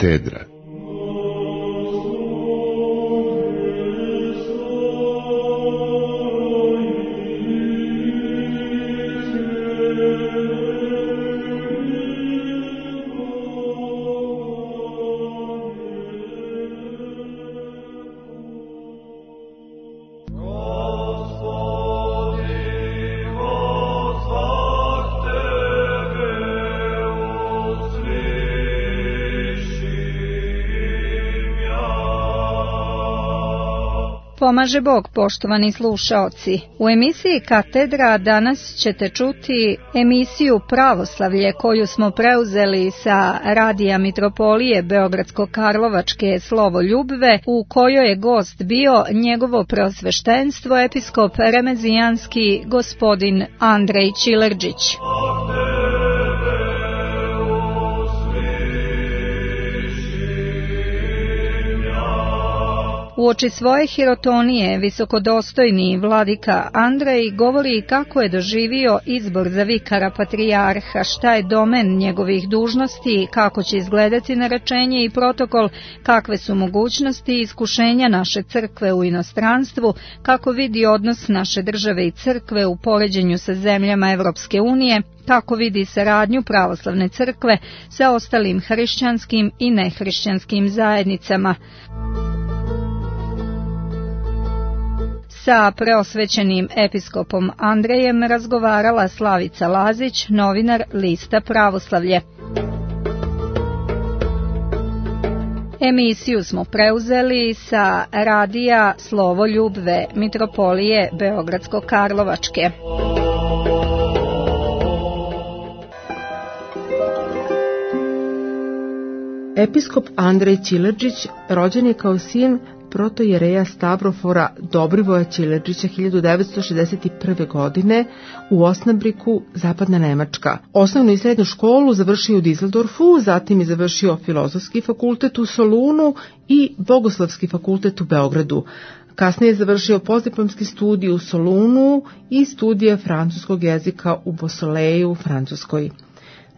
Katedra. Pomaže Bog, poštovani slušaoci. U emisiji Katedra danas ćete čuti emisiju Pravoslavlje koju smo preuzeli sa radija Mitropolije Beogradsko-Karlovačke Slovo Ljubve, u kojoj je gost bio njegovo preosveštenstvo episkop remezijanski gospodin Andrej Čilerđić. Uoči svoje hirotonije visokodostojni vladika Andrej govori kako je doživio izbor za vikara patrijarha, šta je domen njegovih dužnosti, kako će izgledati narečenje i protokol, kakve su mogućnosti i iskušenja naše crkve u inostranstvu, kako vidi odnos naše države i crkve u poređenju sa zemljama Evropske unije, kako vidi saradnju pravoslavne crkve sa ostalim hrišćanskim i nehrišćanskim zajednicama. Sa preosvećenim episkopom Andrejem razgovarala Slavica Lazić, novinar lista Pravoslavlje. Emisiju smo preuzeli sa radija Slovo Ljubve Mitropolije Beogradsko-Karlovačke. Episkop Andrej Čilerđić rođen je kao sin protojereja Stavrofora Dobrivoja Čilerđića 1961. godine u Osnabriku, zapadna Nemačka. Osnovnu i srednju školu završio u Düsseldorfu, zatim je završio Filozofski fakultet u Solunu i Bogoslovski fakultet u Beogradu. Kasnije je završio postdiplomski studij u Solunu i studije francuskog jezika u Beausoleil u Francuskoj.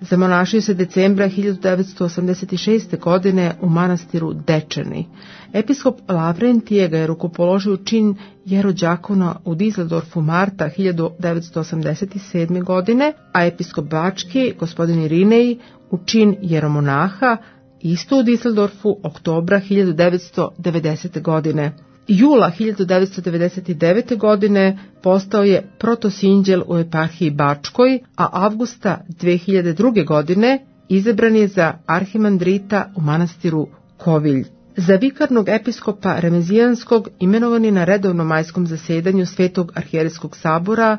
Zamonašio se decembra 1986. godine u manastiru Dečani. Episkop Lavrentije ga je rukopoložio u čin jerođakona u Düsseldorfu marta 1987. godine, a episkop Bački, gospodin Irinej, u čin jeromonaha isto u Düsseldorfu oktobra 1990. godine. Jula 1999. godine postao je protosinđel u eparhiji Bačkoj, a avgusta 2002. godine izabran je za arhimandrita u manastiru Kovilj. Za vikarnog episkopa Remezijanskog imenovan je na redovnom majskom zasedanju Svetog arhijerejskog sabora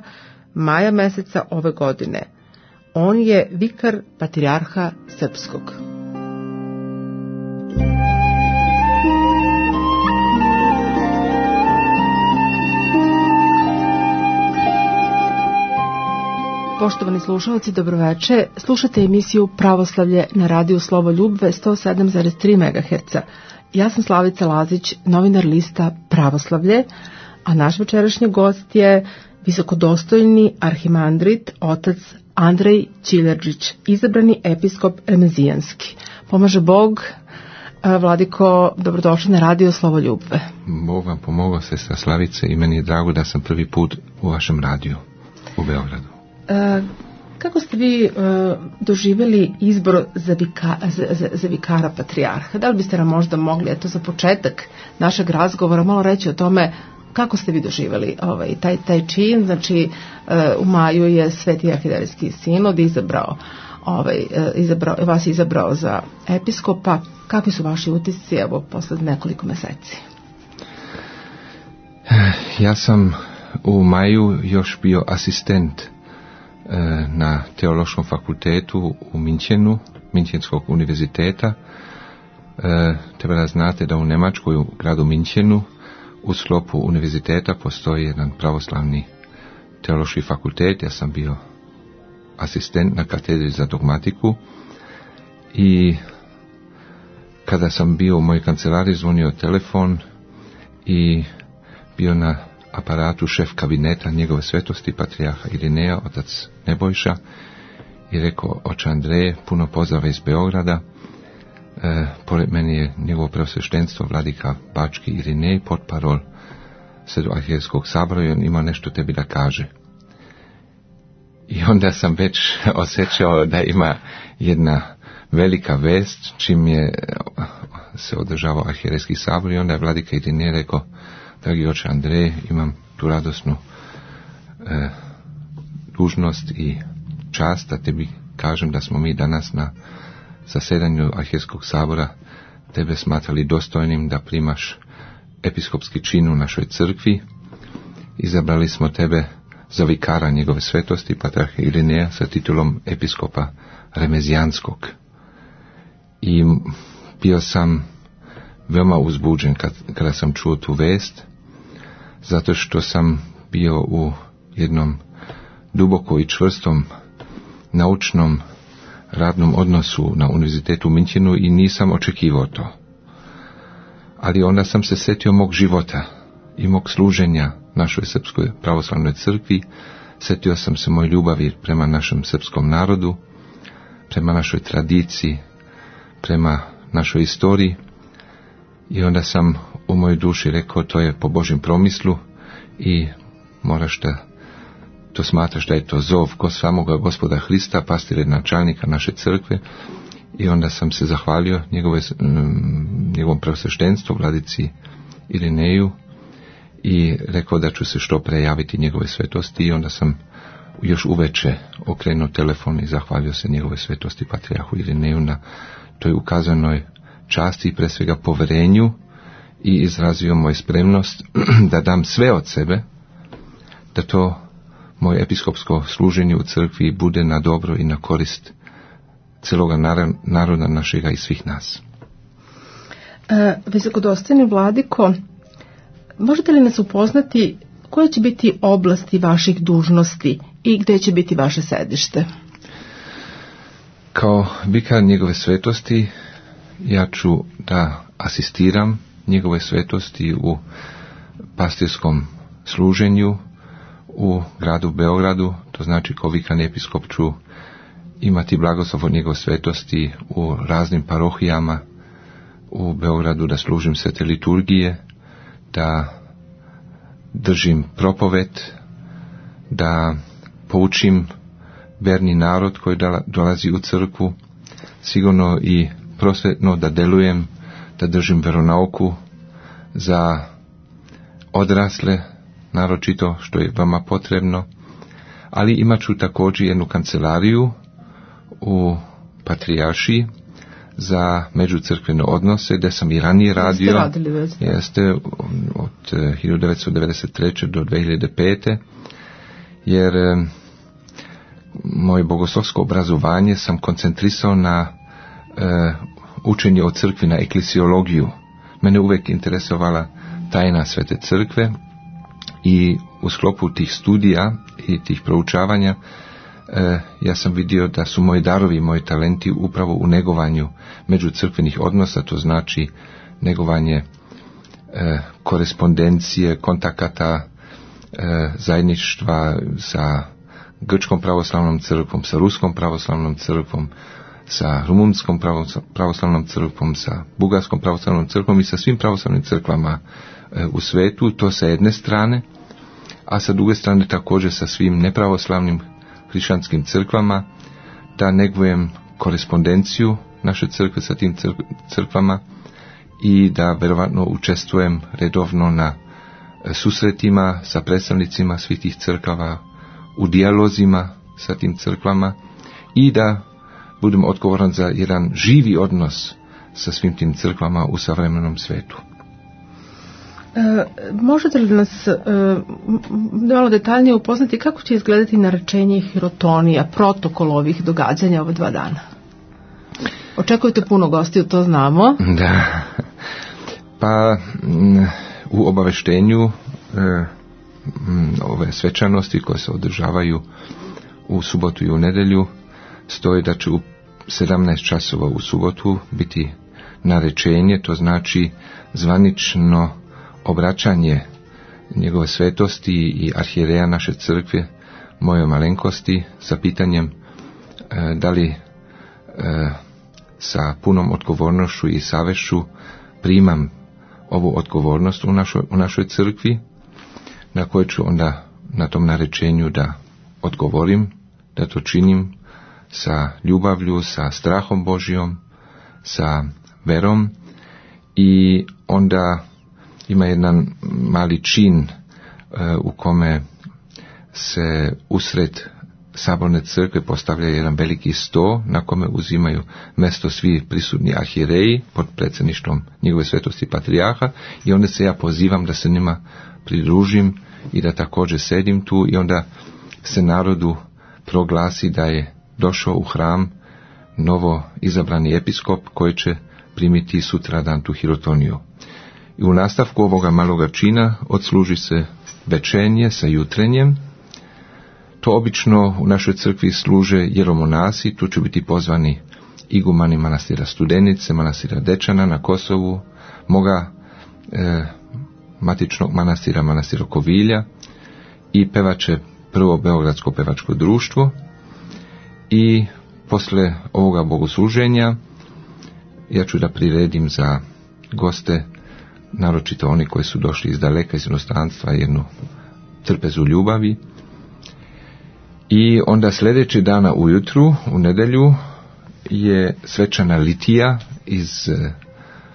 maja meseca ove godine. On je vikar patrijarha Srpskog. Poštovani slušalci, dobroveče. Slušate emisiju Pravoslavlje na radiju Slovo Ljubve 107,3 MHz. Ja sam Slavica Lazić, novinar lista Pravoslavlje, a naš večerašnji gost je visokodostojni arhimandrit otac Andrej Čilerđić, izabrani episkop remezijanski. Pomaže Bog. Vladiko, dobrodošli na radio Slovo Ljubve. Bog vam pomogao, sestra Slavice, i meni je drago da sam prvi put u vašem radiju u Beogradu. Kako ste vi doživjeli izbor za vikara patrijarha? Da li biste nam možda mogli, eto za početak našeg razgovora, malo reći o tome kako ste vi doživjeli taj čin? Znači, u maju je Sveti arhijerejski sinod vas izabrao za episkopa. Kakvi su vaši utisci, evo, posle nekoliko meseci? Ja sam u maju još bio asistent na Teološkom fakultetu u Minchenu, Minchenskog univerziteta. Treba da znate da u Njemačkoj, u gradu Minchenu, u sklopu univerziteta postoji jedan pravoslavni teološki fakultet. Ja sam bio asistent na katedri za dogmatiku i kada sam bio u mojoj kancelariji, zvonio telefon i bio na aparatu šef kabineta njegove svetosti patrijarha Irineja, otac Nebojša, i rekao: oče Andreje, puno pozdrava iz Beograda, pored mene je njegovo preosveštenstvo vladika Bački Irinej, potparol Sredoarhijevskog sabora, i on ima nešto tebi da kaže. I onda sam već osjećao da ima jedna velika vest čim je se održavao arhijevski sabor, i onda je vladika Irinej rekao: dragi oče Andrej, imam tu radosnu dužnost i čast da tebi kažem da smo mi danas na zasedanju arhijevskog sabora tebe smatrali dostojnim da primaš episkopski čin u našoj crkvi. Izabrali smo tebe za vikara njegove svetosti patrijarha Irineja sa titulom episkopa Remezijanskog. I bio sam veoma uzbuđen kada sam čuo tu vest, zato što sam bio u jednom duboko i čvrstom naučnom radnom odnosu na univerzitetu u Minchenu i nisam očekivao to. Ali onda sam se sjetio mog života i mog služenja našoj srpskoj pravoslavnoj crkvi, sjetio sam se moje ljubavi prema našem srpskom narodu, prema našoj tradiciji, prema našoj istoriji, i onda sam u mojoj duši rekao: to je po Božjem promislu i moraš da to smatraš da je to zov samoga Gospoda Hrista, pastire načelnika naše crkve. I onda sam se zahvalio njegovom preosveštenstvu vladici Irineju i rekao da ću se što pre javiti njegove svetosti, i onda sam još uveče okrenuo telefon i zahvalio se njegove svetosti patrijarhu Irineju na toj ukazanoj časti i pre svega poverenju, i izrazio moju spremnost da dam sve od sebe da to moje episkopsko služenje u crkvi bude na dobro i na korist celoga naroda našega i svih nas. Visokodostojni vladiko, možete li nas upoznati koje će biti oblasti vaših dužnosti i gdje će biti vaše sedište? Kao vikar njegove svetosti ja ću da asistiram njegove svetosti u pastirskom služenju u gradu Beogradu, to znači kao vikan episkop ću imati blagoslov od njegove svetosti u raznim parohijama u Beogradu, da služim svete liturgije, da držim propoved, da poučim verni narod koji dolazi u crkvu, sigurno i prosvetno da delujem, da držim veronauku za odrasle, naročito što je vama potrebno, ali imat ću također jednu kancelariju u Patrijaršiji za međucrkvene odnose, gdje sam i ranije radio. Jeste od 1993. do 2005. Jer moje bogoslovsko obrazovanje sam koncentrisao na učenje o crkvi, na eklesiologiju. Mene uvijek interesovala tajna svete crkve i u sklopu tih studija i tih proučavanja ja sam vidio da su moji darovi, moji talenti upravo u negovanju međucrkvenih odnosa, to znači negovanje korespondencije, kontakata, zajedništva sa Grčkom pravoslavnom crkvom, sa Ruskom pravoslavnom crkvom, sa Rumunskom pravoslavnom crkvom, sa Bugarskom pravoslavnom crkvom i sa svim pravoslavnim crkvama u svetu, to sa jedne strane, a sa druge strane također sa svim nepravoslavnim hrišćanskim crkvama, da negujem korespondenciju naše crkve sa tim crkvama i da vjerovatno učestvujem redovno na susretima sa predstavnicima svih tih crkava, u dijalozima sa tim crkvama i da budem odgovoran za jedan živi odnos sa svim tim crkvama u savremenom svetu. Možete li nas malo detaljnije upoznati kako će izgledati naručenje hirotonija, protokol ovih događanja ova 2 dana? Očekujete puno gostiju, to znamo. Da, pa u obaveštenju ove svečanosti koje se održavaju u subotu i u nedjelju stoji da će u 17 časova u subotu biti narečenje, to znači zvanično obraćanje njegove svetosti i arhijereja naše crkve, moje malenkosti, sa pitanjem da li sa punom odgovornošću i savješću primam ovu odgovornost u našoj crkvi, na kojoj ću onda na tom narečenju da odgovorim, da to činim sa ljubavlju, sa strahom Božjom, sa verom, i onda ima jedan mali čin u kome se usred saborne crkve postavlja jedan veliki sto na kome uzimaju mjesto svi prisutni arhijereji pod predsjedništvom njegove svetosti patrijarha, i onda se ja pozivam da se njima pridružim i da također sedim tu, i onda se narodu proglasi da je došao u hram novo izabrani episkop koji će primiti sutradan tu hirotoniju. I u nastavku ovoga maloga čina odsluži se večernje sa jutrenjem. To obično u našoj crkvi služe jeromonasi, tu će biti pozvani igumani manastira Studenice, manastira Dečana na Kosovu, moga matičnog manastira, manastira Kovilja, i pevače prvo Beogradsko pevačko društvo. I posle ovoga bogosluženja ja ću da priredim za goste, naročito oni koji su došli iz daleka, iz inostranstva, jednu trpezu ljubavi. I onda sljedeći dana ujutru, u nedjelju, je svečana litija iz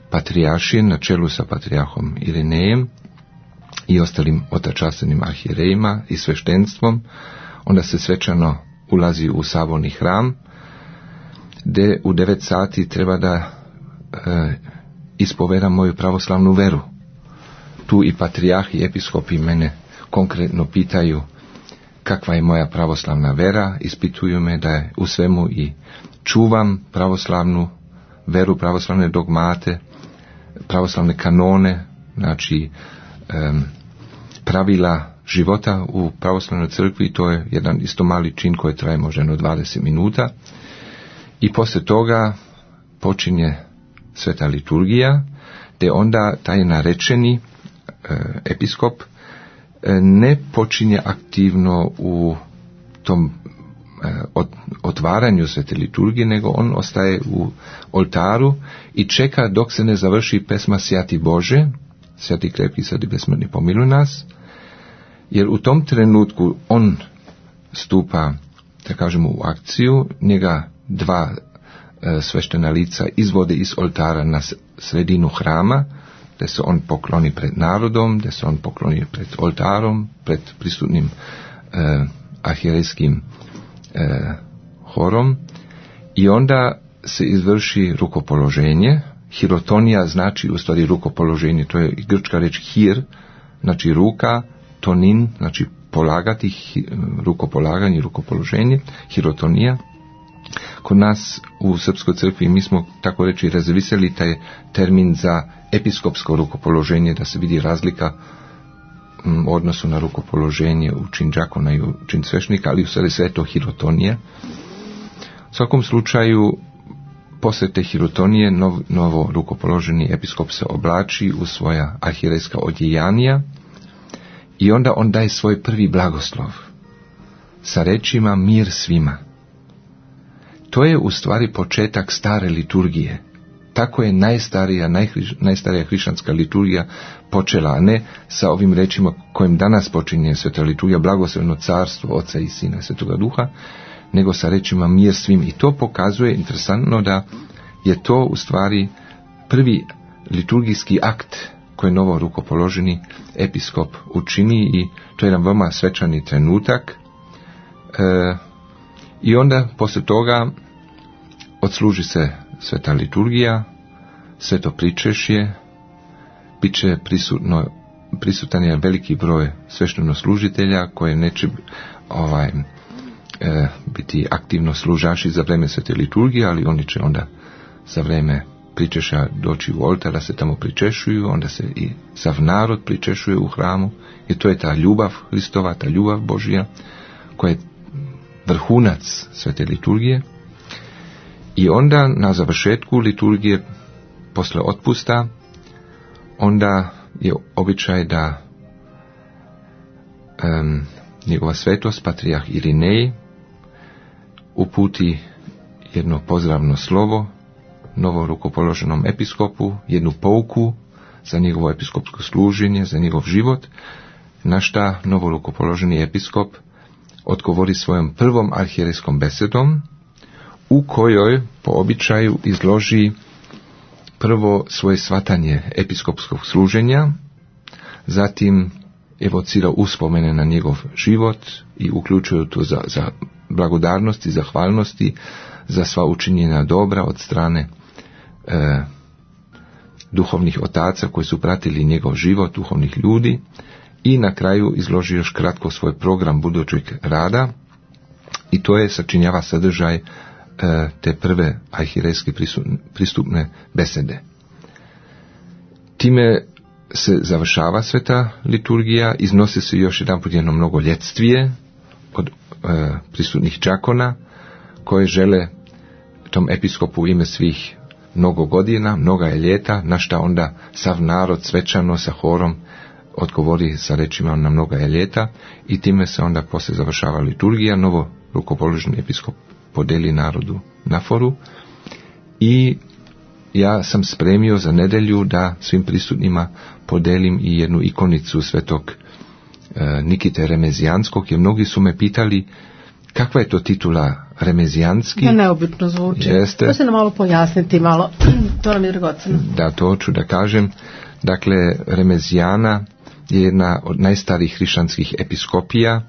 patrijaršije na čelu sa patrijarhom Irinejem i ostalim otačasenim arhijerejima i sveštenstvom. Onda se svečano ulazi u saborni hram, gdje u 9 sati treba da ispovedam moju pravoslavnu veru. Tu i patrijarh i episkopi mene konkretno pitaju kakva je moja pravoslavna vera, ispituju me da je u svemu i čuvam pravoslavnu veru, pravoslavne dogmate, pravoslavne kanone, znači pravila života u pravoslavnoj crkvi. To je jedan isto mali čin koji traje možda 20 minuta. I poslije toga počinje sveta liturgija, gdje onda taj narečeni episkop ne počinje aktivno u tom otvaranju svete liturgije, nego on ostaje u oltaru i čeka dok se ne završi pesma Sjati Bože, Sjati krepki, sveti besmrtni, pomiluj nas, jer u tom trenutku on stupa, da kažemo, u akciju. Njega dva sveštena lica izvode iz oltara na sredinu hrama, da se on pokloni pred narodom, da se on pokloni pred oltarom, pred prisutnim arhijerejskim horom, i onda se izvrši rukopoloženje. Hirotonija znači u stvari rukopoloženje, to je grčka reč hir, znači ruka, tonin, znači polagati, rukopolaganje, rukopoloženje, hirotonija. Kod nas u Srpskoj crkvi mi smo, tako reći, razviseli taj termin za episkopsko rukopoloženje, da se vidi razlika u odnosu na rukopoloženje u čin đakona i u čin svešnika, ali u stvari sve to hirotonija. U svakom slučaju, poslije te hirotonije novo rukopoloženi episkop se oblači u svoja arhijerejska odjejanija i onda on daje svoj prvi blagoslov sa rečima mir svima. To je u stvari početak stare liturgije. Tako je najstarija hrišćanska liturgija počela, a ne sa ovim rečima kojim danas počinje sveta liturgija, blagosloveno carstvo Oca i Sina i Svetoga Duha, nego sa rečima mir svim. I to pokazuje interesantno da je to u stvari prvi liturgijski akt koji novo rukopoloženi episkop učini, i to je jedan veoma svečani trenutak. I onda poslije toga odsluži se sveta liturgija, sveto pričešće, bit će prisutan je veliki broj sveštenoslужitelja koje neće biti aktivno služaši za vrijeme svete liturgije, ali oni će onda za vrijeme pričeša doći u oltar, da se tamo pričešuju, onda se i sav narod pričešuje u hramu, i to je ta ljubav Hristova, ta ljubav Božja, koja je vrhunac svete liturgije. I onda na završetku liturgije, posle otpusta, onda je običaj da njegova svetost, patrijarh Irinej, uputi jedno pozdravno slovo novo rukopoloženom episkopu jednu pouku za njegovo episkopsko služenje, za njegov život, na šta novo rukopoloženi episkop odgovori svojom prvom arhijerejskom besedom, u kojoj po običaju izloži prvo svoje shvatanje episkopskog služenja, zatim evocira uspomene na njegov život i uključuje to za blagodarnosti, zahvalnosti, za sva učinjena dobra od strane duhovnih otaca koji su pratili njegov život, duhovnih ljudi, i na kraju izloži još kratko svoj program budućeg rada, i to je sačinjava sadržaj te prve arhierejske pristupne besede. Time se završava sveta liturgija, iznosi se još jedanput jedno mnogoljetstvo od prisutnih đakona koje žele tom episkopu u ime svih mnogo godina, mnoga je ljeta, na šta onda sav narod svečano sa horom odgovori sa rečima na mnoga je ljeta, i time se onda poslije završava liturgija. Novo rukopoloženi episkop podeli narodu naforu, i ja sam spremio za nedjelju da svim prisutnima podelim i jednu ikonicu svetog Nikite Remezijanskog, jer mnogi su me pitali kakva je to titula Remezijanski. Ja, neobično zvuči. Jeste. To se nam malo pojasniti, malo. To nam je dragoceno. Da, to hoću da kažem. Dakle, Remezijana je jedna od najstarijih hrišćanskih episkopija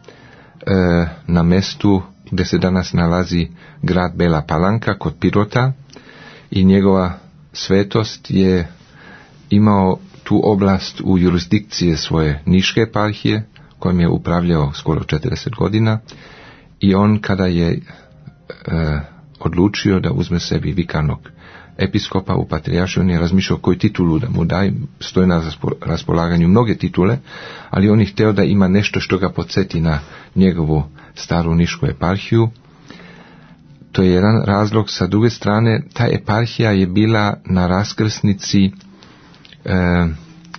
na mestu gdje se danas nalazi grad Bela Palanka kod Pirota, i njegova svetost je imao tu oblast u jurisdikcije svoje niške eparhije, kojom je upravljao skoro 40 godina, i on kada je odlučio da uzme sebi vikarnog episkopa u patrijaršiju, on je razmišljao koju titulu da mu daj, stoje na raspolaganju mnoge titule, ali on je htio da ima nešto što ga podsjeti na njegovu staru nišku eparhiju. To je jedan razlog. Sa druge strane, ta eparhija je bila na raskrsnici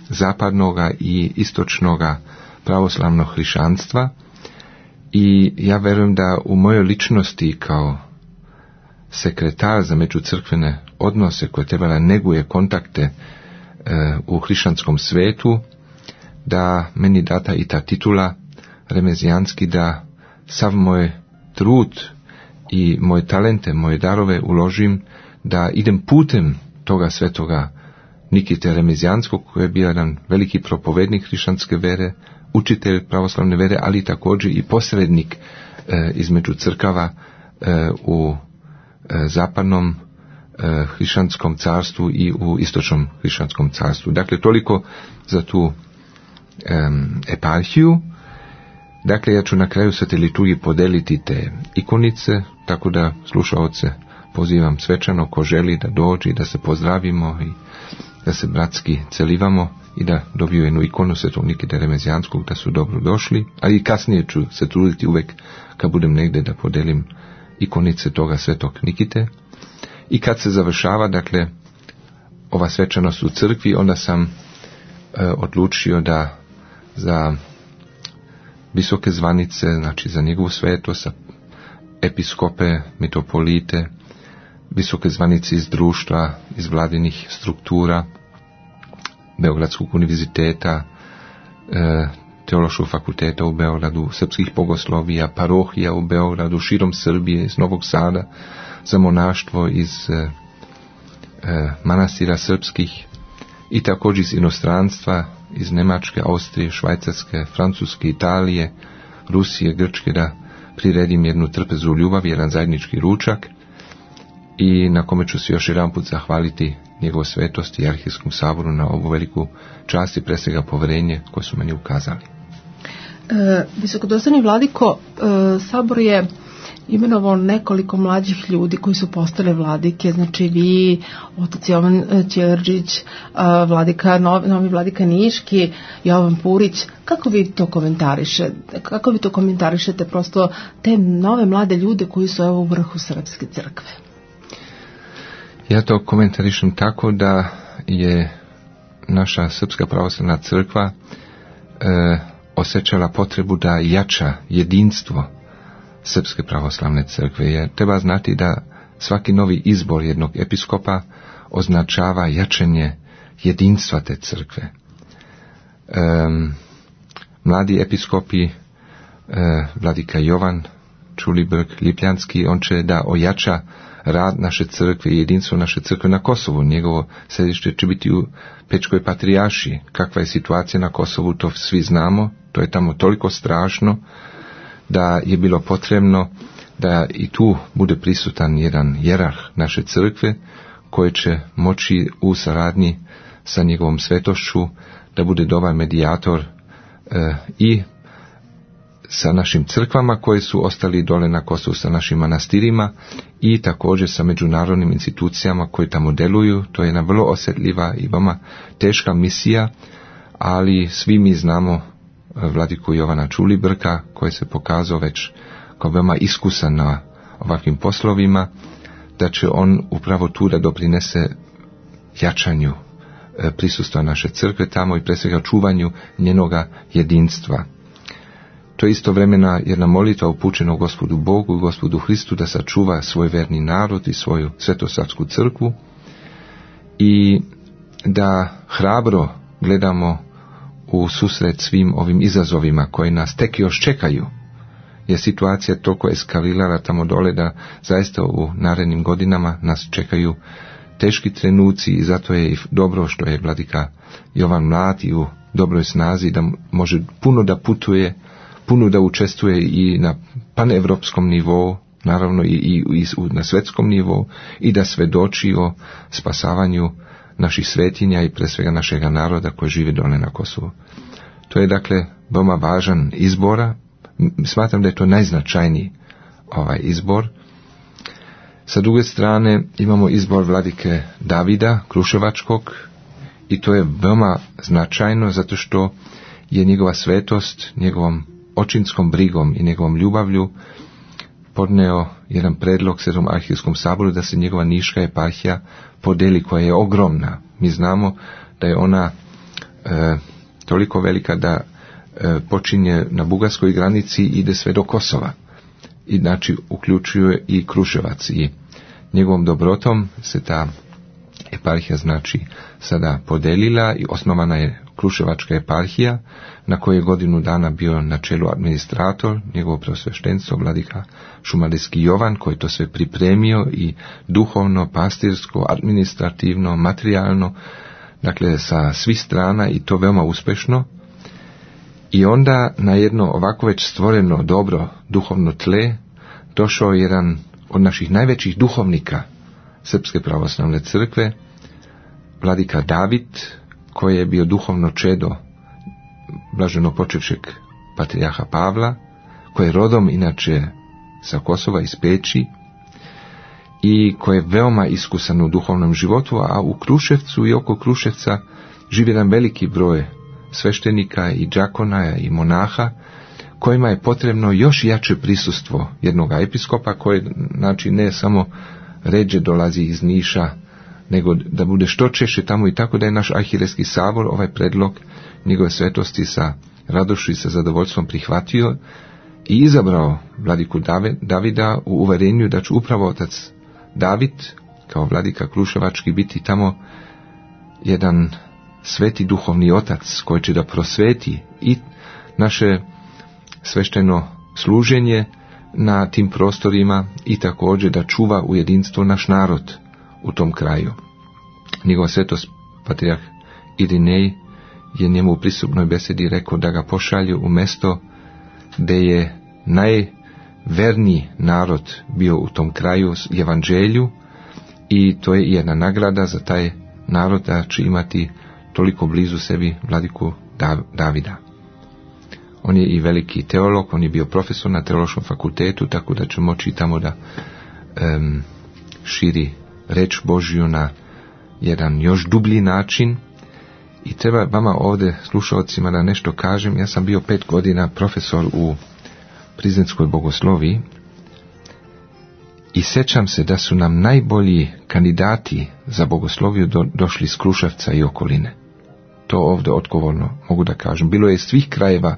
zapadnoga i istočnoga pravoslavnog hrišćanstva, i ja verujem da u mojoj ličnosti kao sekretar za međucrkvene odnose koje trebala neguje kontakte u hrišćanskom svetu, da meni data i ta titula Remezijanski, da sav moj trud i moje talente, moje darove uložim da idem putem toga svetoga Nikite Remezijanskog, koji je bio jedan veliki propovednik hrišćanske vere, učitelj pravoslavne vere, ali također i posrednik između crkava u zapadnom hrišćanskom carstvu i u istočnom hrišćanskom carstvu. Dakle, toliko za tu eparhiju. Dakle, ja ću na kraju svete liturgije podeliti te ikonice, tako da slušaoce pozivam svečano ko želi da dođe i da se pozdravimo i da se bratski celivamo i da dobiju jednu ikonu svetog Nikite Remezijanskog, da su dobro došli, a i kasnije ću se truditi uvek kad budem negdje da podelim ikonice toga svetog Nikite. I kad se završava, dakle, ova svečanost u crkvi, onda sam odlučio da za visoke zvanice, znači za njegovu svetost, episkope, mitropolite, visoke zvanice iz društva, iz vladinih struktura, Beogradskog univerziteta, Teološkog fakulteta u Beogradu, srpskih bogoslovija, parohija u Beogradu, širom Srbije, iz Novog Sada, za monaštvo iz manastira srpskih, i također iz inostranstva, iz Njemačke, Austrije, Švajcarske, Francuske, Italije, Rusije, Grčke, da priredim jednu trpezu ljubavi, jedan zajednički ručak, i na kome ću se još jedan put zahvaliti njegov svetosti i arhijskom saboru na ovu veliku čast i pre svega poverenje koje su meni ukazali. Visokodostojni vladiko, sabor je imenovao nekoliko mlađih ljudi koji su postale vladike, znači vi, otac Jovan Ćirđić, novi vladika Niški, Jovan Purić. Kako vi to komentarišete? Kako vi to komentarišete prosto te nove mlade ljude koji su evo u vrhu srpske crkve? Ja to komentarišem tako da je naša srpska pravoslavna crkva osjećala potrebu da jača jedinstvo srpske pravoslavne crkve. Jer treba znati da svaki novi izbor jednog episkopa označava jačanje jedinstva te crkve. Mladi episkopi, vladika Jovan Čulibrk, Lipljanski, on će da ojača rad naše crkve i jedinstvo naše crkve na Kosovu. Njegovo središte će biti u Pečkoj patrijaršiji. Kakva je situacija na Kosovu, to svi znamo. To je tamo toliko strašno da je bilo potrebno da i tu bude prisutan jedan jerarh naše crkve koji će moći u saradnji sa njegovom svetošću da bude dobar medijator i sa našim crkvama koje su ostali dole na Kosovu, sa našim manastirima i također sa međunarodnim institucijama koje tamo deluju. To je jedna vrlo osjetljiva i veoma teška misija, ali svi mi znamo vladiku Jovana Čulibrka koji se pokazao već kao veoma iskusan na ovakvim poslovima, da će on upravo tu da doprinese jačanju prisustva naše crkve tamo i pre svega čuvanju njenoga jedinstva. To je istovremena jedna molitva upućena Gospodu Bogu i Gospodu Hristu da sačuva svoj verni narod i svoju svetosavsku crkvu i da hrabro gledamo u susret svim ovim izazovima koji nas tek još čekaju. Je situacija toliko eskalirala tamo dole da zaista u narednim godinama nas čekaju teški trenuci i zato je i dobro što je vladika Jovan mlad i u dobroj snazi da može puno da putuje, puno da učestvuje i na panevropskom nivou, naravno i na svetskom nivou i da svedoči o spasavanju naših svetinja i pre svega našega naroda koji žive dole na Kosovu. To je dakle veoma važan izbora. Smatram da je to najznačajniji izbor. Sa druge strane imamo izbor vladike Davida Kruševačkog i to je veoma značajno zato što je njegova svetost njegovom očinskom brigom i njegovom ljubavlju podneo jedan predlog Svetom arhijskom saboru da se njegova niška eparhija podeli, koja je ogromna. Mi znamo da je ona toliko velika da počinje na bugarskoj granici i ide sve do Kosova. I znači uključuje i Kruševac i njegovom dobrotom se ta eparhija znači sada podelila i osnovana je Kruševačka eparhija na kojoj je godinu dana bio na čelu administrator, njegovo preosveštenstvo vladika Šumadijski Jovan koji to sve pripremio i duhovno, pastirsko, administrativno, materijalno, dakle sa svih strana i to veoma uspešno. I onda na jedno ovako već stvoreno dobro duhovno tle došao jedan od naših najvećih duhovnika Srpske pravoslavne crkve, vladika David, koji je bio duhovno čedo blaženo počivšeg patrijarha Pavla, koji je rodom inače sa Kosova iz Peći i koji je veoma iskusan u duhovnom životu, a u Kruševcu i oko Kruševca živi jedan veliki broj sveštenika i đakona i monaha kojima je potrebno još jače prisustvo jednog episkopa koji znači ne samo ređe dolazi iz Niša, nego da bude što češće tamo i tako da je naš arhierejski sabor ovaj predlog njegove svetosti sa radošću i sa zadovoljstvom prihvatio i izabrao vladiku Davida u uverenju da će upravo otac David kao vladika Kruševački biti tamo jedan sveti duhovni otac koji će da prosveti i naše svešteno služenje na tim prostorima i također da čuva u jedinstvo naš narod u tom kraju. Njegova svetost patrijarh Irinej je njemu u pristupnoj besedi rekao da ga pošalju u mesto gdje je najverniji narod bio u tom kraju evanđelju i to je jedna nagrada za taj narod da će imati toliko blizu sebi vladiku Davida. On je i veliki teolog, on je bio profesor na teološkom fakultetu, tako da će moći tamo da širi reč Božju na jedan još dublji način. I treba vama ovdje, slušalcima, da nešto kažem. Ja sam bio 5 godina profesor u Prizrenskoj bogosloviji i sjećam se da su nam najbolji kandidati za bogosloviju došli iz Kruševca i okoline. To ovdje odgovorno mogu da kažem. Bilo je iz svih krajeva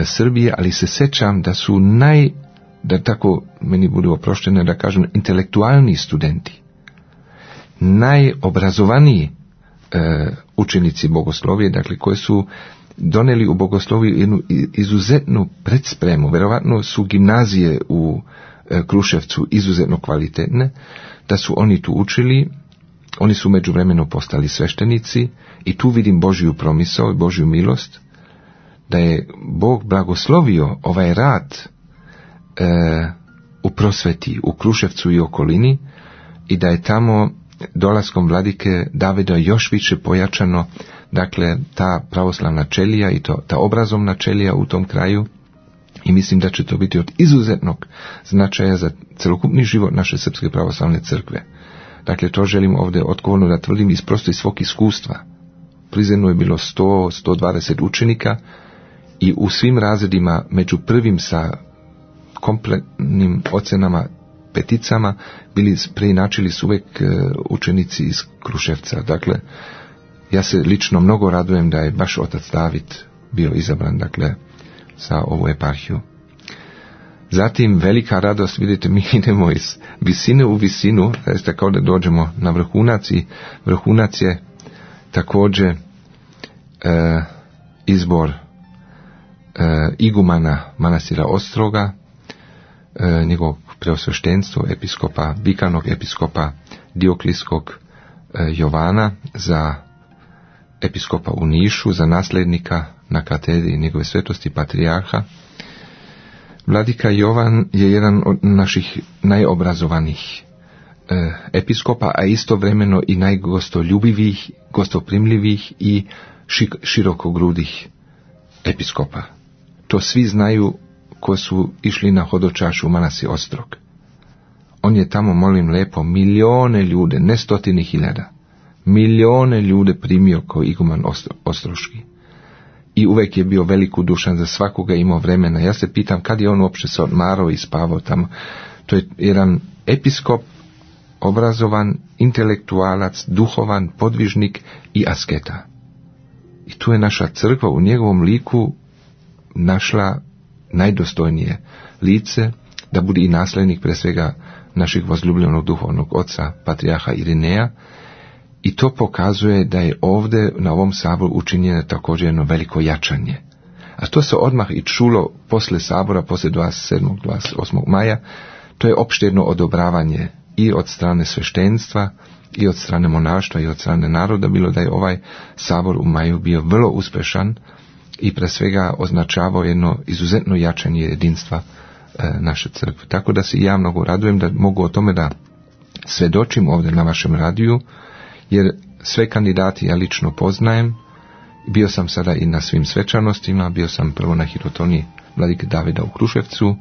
Srbije, ali se sjećam da su da tako meni budu oproštene da kažem, intelektualni studenti, najobrazovaniji učenici bogoslovije, dakle koji su doneli u bogosloviju jednu izuzetnu predspremu, vjerovatno su gimnazije u Kruševcu izuzetno kvalitetne, da su oni tu učili, oni su međuvremeno postali sveštenici i tu vidim Božju promisao i Božju milost, da je Bog blagoslovio ovaj rad u prosveti, u Kruševcu i okolini i da je tamo dolaskom vladike Davida još više pojačano, dakle, ta pravoslavna čelija i ta obrazovna čelija u tom kraju i mislim da će to biti od izuzetnog značaja za celokupni život naše Srpske pravoslavne crkve. Dakle, to želim ovdje odgovorno da tvrdim iz svog iskustva. Prizrenu je bilo 100-120 učenika i u svim razredima među prvim sa kompletnim ocenama, peticama, preinačili su uvijek učenici iz Kruševca. Dakle, ja se lično mnogo radujem da je baš otac David bio izabran, dakle, za ovu eparhiju. Zatim, velika radost, vidite, mi idemo iz visine u visinu, jeste kao da dođemo na vrhunac i vrhunac je također izbor igumana manastira Ostroga, njegovog preosveštenstvo, episkopa, vikanog episkopa Dioklijskog Jovana za episkopa u Nišu, za nasljednika na katedri njegove svetosti patrijarha. Vladika Jovan je jedan od naših najobrazovanijih episkopa, a istovremeno i najgostoljubivih, gostoprimljivih i širokogrudih episkopa. To svi znaju koji su išli na hodočašu u manastir Ostrog. On je tamo, molim lepo, milijone ljude, ne 100.000, milijone ljude primio kao iguman ostroški. I uvijek je bio velikodušan, za svakoga imao vremena. Ja se pitam kad je on uopće se odmarao i spavao tamo. To je jedan episkop, obrazovan, intelektualac, duhovan, podvižnik i asketa. I tu je naša crkva u njegovom liku našla najdostojnije lice, da bude i nasljednik pre svega našeg возлюbljenog duhovnog oca, patrijarha Irineja, i to pokazuje da je ovdje na ovom saboru učinjeno također jedno veliko jačanje. A to se odmah i čulo posle sabora, posle 27. 28. maja, to je opšte jedno odobravanje i od strane sveštenstva, i od strane monaštva, i od strane naroda, bilo da je ovaj sabor u maju bio vrlo uspešan i pre svega označavao jedno izuzetno jačanje jedinstva naše crkve. Tako da se ja mnogo radujem da mogu o tome da svedočim ovdje na vašem radiju, jer sve kandidati ja lično poznajem. Bio sam sada i na svim svečanostima, bio sam prvo na hirotoniji vladike Davida u Kruševcu.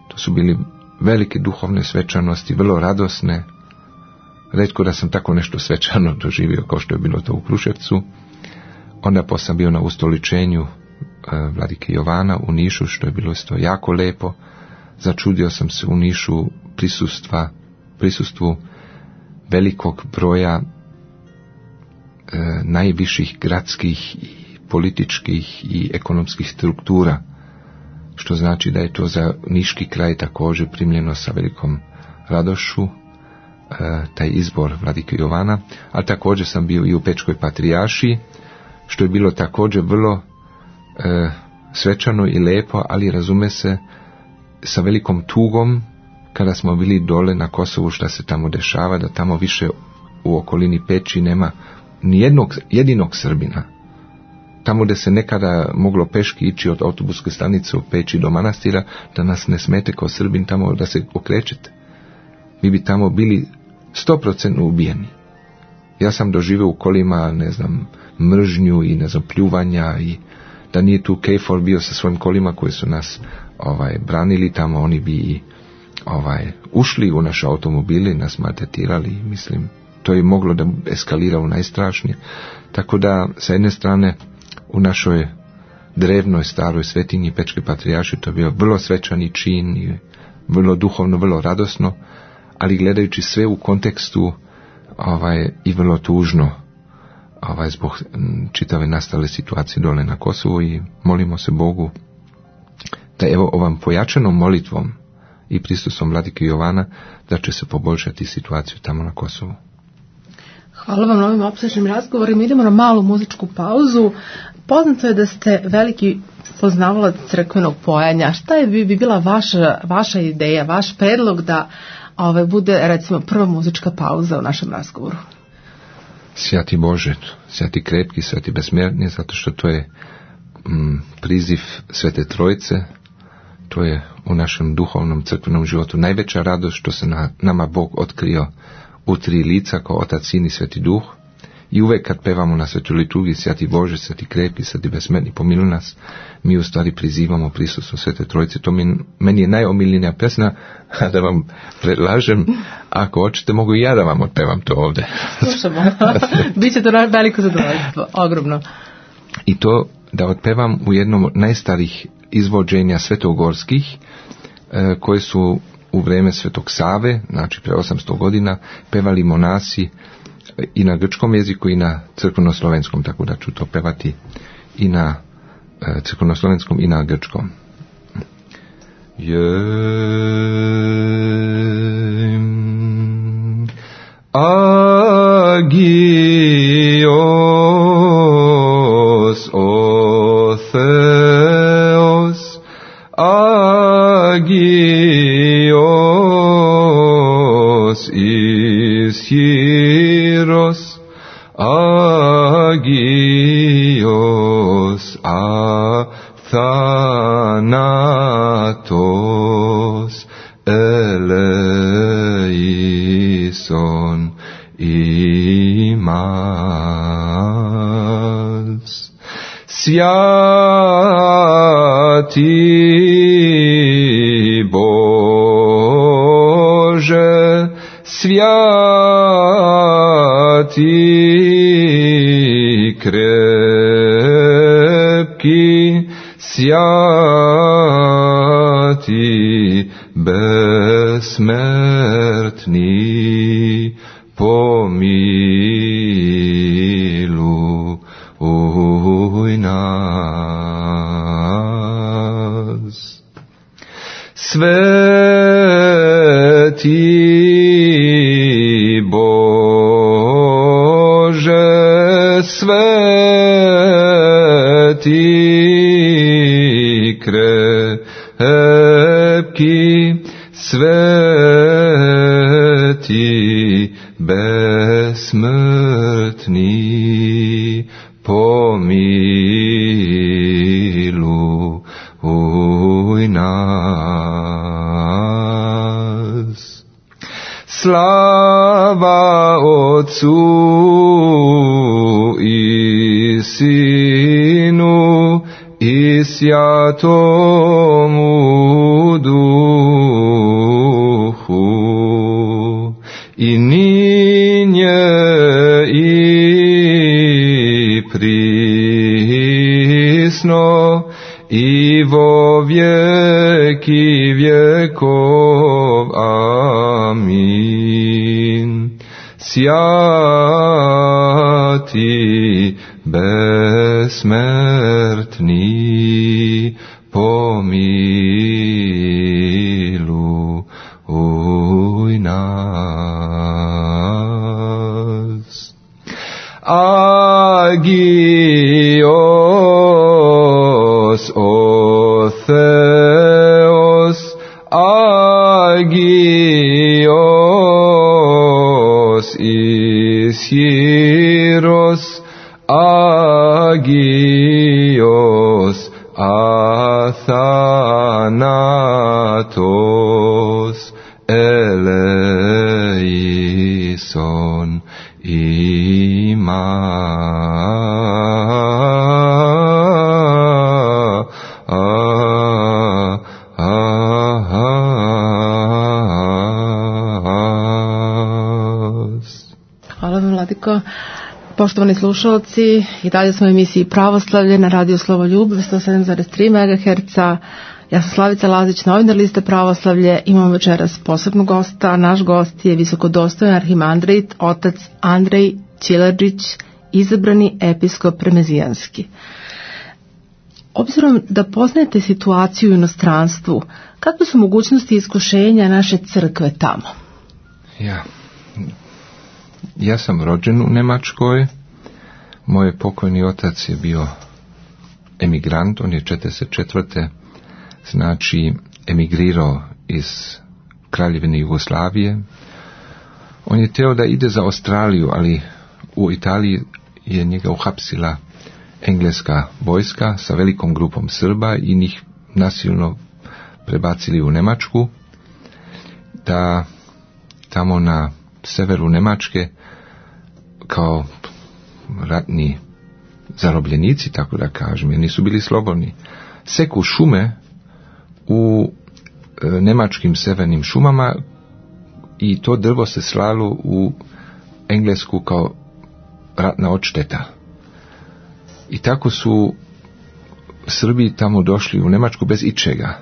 To su bili velike duhovne svečanosti, vrlo radosne. Retko da sam tako nešto svečano doživio kao što je bilo to u Kruševcu. Onda sam bio na ustoličenju vladike Jovana u Nišu, što je bilo isto jako lepo. Začudio sam se u Nišu prisustvu velikog broja najviših gradskih i političkih i ekonomskih struktura, što znači da je to za niški kraj također primljeno sa velikom radošću, taj izbor vladike Jovana. A također sam bio i u Pečkoj patrijaršiji, što je bilo također vrlo svečano i lepo, ali razume se sa velikom tugom kada smo bili dole na Kosovu, šta se tamo dešava, da tamo više u okolini Peći nema ni jedinog Srbina. Tamo gdje se nekada moglo peški ići od autobuske stanice u Peći do manastira, da nas ne smete kao Srbin tamo da se okrećete. Mi bi tamo bili 100% ubijeni. Ja sam doživio u kolima, mržnju i pljuvanja, i da nije tu KFOR bio sa svojim kolima koji su nas branili tamo, oni bi ušli u naše automobile, nas maltretirali, mislim, to je moglo da eskalira u najstrašnije. Tako da, sa jedne strane, u našoj drevnoj staroj svetinji Pečke patrijaršije to je bio vrlo svečani čin i vrlo duhovno, vrlo radosno, ali gledajući sve u kontekstu i vrlo tužno zbog čitave nastale situacije dole na Kosovu, i molimo se Bogu da evo ovom pojačanom molitvom i prisustvom vladike Jovana da će se poboljšati situaciju tamo na Kosovu. Hvala vam na ovim opsežnim razgovorima. Idemo na malu muzičku pauzu. Poznato je da ste veliki poznavalac crkvenog pojanja. Šta bi bila vaša ideja, vaš predlog da bude recimo prva muzička pauza u našem razgovoru? Svjati Bože, svjati krepki, svjati besmjerni, zato što to je priziv Svete Trojice, to je u našem duhovnom crkvenom životu najveća radost što se nama Bog otkrio u 3 lica kao Otac, Sin i Sveti Duh. I uvek kad pevamo na svetoj liturgiji Svjati Bože, svjati krepki, svjati besmjerni, pomiluj nas, mi u stvari prizivamo prisustvo Svete Trojice. To meni je najomiljenija pesma, a da vam predlažem, ako hoćete mogu i ja da vam otpevam to ovdje. Slušamo, biće to veliko zadovoljstvo, ogromno. I to da otpevam u jednom od najstarijih izvođenja svetogorskih, koje su u vrijeme Svetog Save, znači pre 800 godina, pevali monasi i na grčkom jeziku i na crkveno-slovenskom, tako da ću to pevati i na crkveno-slovenskom i na grčkom. Agios o Theos, agios ischiros, agios athanatos eleison imas. Svjati Bože, svjati krepki, svjati besmrtni, pomiluj nas. Sveti Bože, sveti krepki, sveti besmrtni, pomiluj nas. Slava Otcu i Sinu i Svjatomu Duhu, i ninje i prisno i vo vjeki vjekov. Amin. Svjati besmrtni, pomiluj nas. Agios o Theos, agios ischiros, agios athanatos eleison Hvala vam, Vladiko. Poštovani slušalci, i dalje smo u emisiji Pravoslavlje na Radio Slovoljub 107,3 MHz. Ja sam Slavica Lazić, novinar liste Pravoslavlje. Imamo večeras posebnog gosta. Naš gost je visokodostojan arhimandrit otac Andrej Čilerđić, izabrani episkop remezijanski. Obzirom da poznajete situaciju u inostranstvu, Kakve su mogućnosti iskušenja naše crkve tamo? Ja sam rođen u Njemačkoj. Moj pokojni otac je bio emigrant, on je 44. znači emigrirao iz Kraljevine Jugoslavije. On je teo da ide za Australiju, ali u Italiji je njega uhapsila engleska vojska sa velikom grupom Srba i njih nasilno prebacili u Njemačku, da tamo na severu Njemačke kao ratni zarobljenici, tako da kažem, jer nisu bili slobodni, seku šume u njemačkim severnim šumama i to drvo se slalo u Englesku kao ratna odšteta. I tako su Srbi tamo došli u Njemačku bez ičega,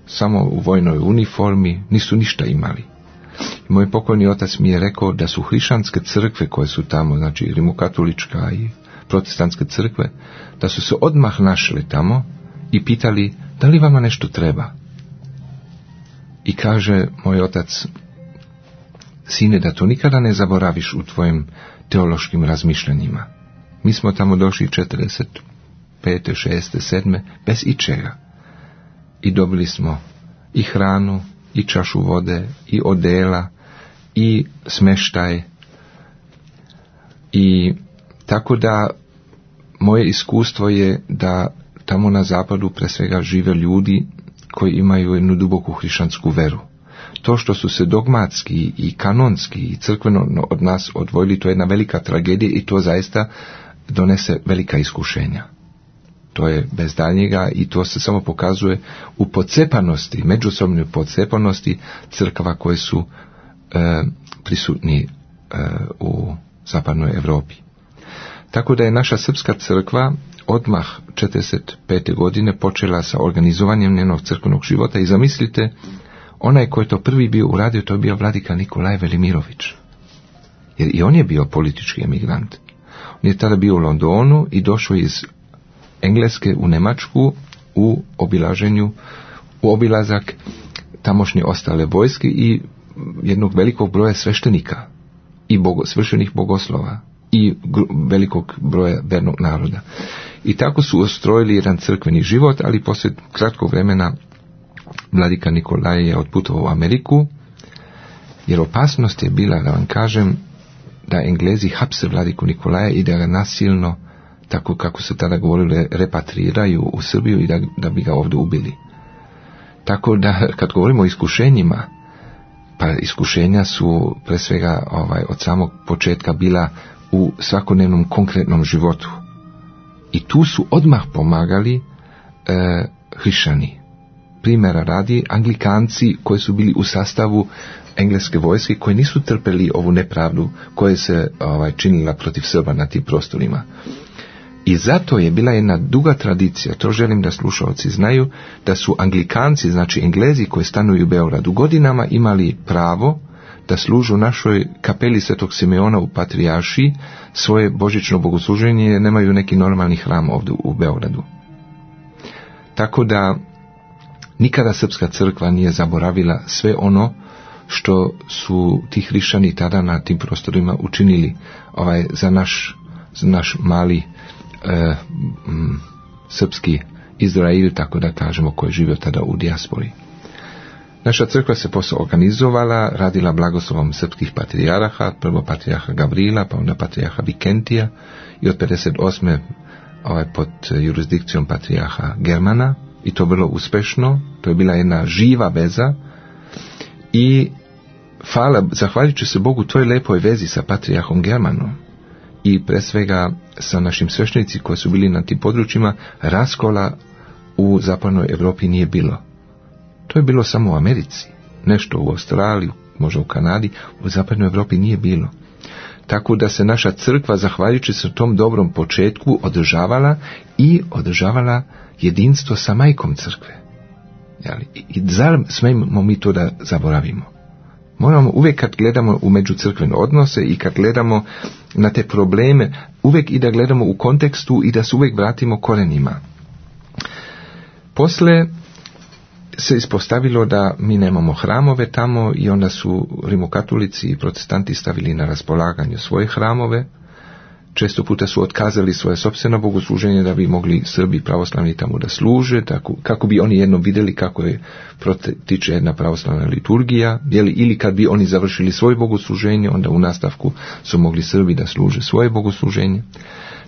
samo u vojnoj uniformi, nisu ništa imali. Moj pokojni otac mi je rekao da su hrišćanske crkve koje su tamo, znači rimokatolička i protestantske crkve, da su se odmah našli tamo i pitali da li vama nešto treba. I kaže moj otac: sine, da to nikada ne zaboraviš u tvojim teološkim razmišljanjima. Mi smo tamo došli 45. 6. 7. bez ičega. I dobili smo i hranu, i čašu vode, i odela, i smeštaj. I tako da moje iskustvo je da tamo na zapadu pre svega žive ljudi koji imaju jednu duboku hrišćansku veru. To što su se dogmatski i kanonski i crkveno od nas odvojili, to je jedna velika tragedija i to zaista donese velika iskušenja. To je bez daljnjega i to se samo pokazuje u podcepanosti, međusobnoj podcepanosti crkava koje su prisutni u zapadnoj Europi. Tako da je naša srpska crkva odmah 45. godine počela sa organizovanjem njenog crkvenog života i zamislite, onaj koji je to prvi bio uradio, to je bio vladika Nikolaj Velimirović. Jer i on je bio politički emigrant. On je tada bio u Londonu i došao iz Engleske u Njemačku u obilazak tamošnje ostale vojske i jednog velikog broja sveštenika i sveštenih bogoslova i velikog broja vernog naroda. I tako su ustrojili jedan crkveni život, ali poslije kratkog vremena vladika Nikolaj je otputovao u Ameriku, jer opasnost je bila, da vam kažem, da Englezi hapse vladiku Nikolaja i da ga nasilno, tako kako se tada govorili, repatriraju u Srbiju i da bi ga ovdje ubili. Tako da, kad govorimo o iskušenjima, pa iskušenja su pre svega od samog početka bila u svakodnevnom konkretnom životu. I tu su odmah pomagali hrišćani. Primjera radi, Anglikanci koji su bili u sastavu engleske vojske, koji nisu trpeli ovu nepravdu koja se činila protiv Srba na tim prostorima. I zato je bila jedna duga tradicija, to želim da slušalci znaju, da su Anglikanci, znači Englezi koji stanuju u Beogradu, godinama imali pravo da služu našoj kapeli Svetog Simeona u Patrijaršiji svoje božićno bogosluženje, jer nemaju neki normalni hram ovdje u Beogradu. Tako da nikada srpska crkva nije zaboravila sve ono što su ti hrišćani tada na tim prostorima učinili za naš mali srpski Izrael, tako da kažemo, koji je živio tada u dijaspori. Naša crkva se posle organizovala, radila blagoslovom srpskih patrijaraha, prvo patrijarha Gavrila, pa onda patrijarha Vikentija i od 58. Pod jurisdikcijom patrijarha Germana, i to vrlo uspešno. To je bila jedna živa veza i zahvaljujući se Bogu toj lepoj vezi sa patrijarhom Germanom i pre svega sa našim sveštenici koji su bili na tim područjima, raskola u zapadnoj Europi nije bilo. To je bilo samo u Americi, nešto u Australiji, možda u Kanadi, u zapadnoj Europi nije bilo. Tako da se naša crkva, zahvaljujući se tom dobrom početku, održavala jedinstvo sa majkom crkve. I zar smijemo mi to da zaboravimo? Moramo uvijek, kad gledamo u međucrkvene odnose i kad gledamo na te probleme, uvijek i da gledamo u kontekstu i da se uvijek vratimo korenima. Posle se ispostavilo da mi nemamo hramove tamo i onda su rimokatolici i protestanti stavili na raspolaganju svoje hramove. Često puta su otkazali svoje sopstveno bogosluženje da bi mogli Srbi pravoslavni tamo da služe, tako, kako bi oni jednom vidjeli kako je protiče jedna pravoslavna liturgija, ili kad bi oni završili svoje bogosluženje, onda u nastavku su mogli Srbi da služe svoje bogosluženje.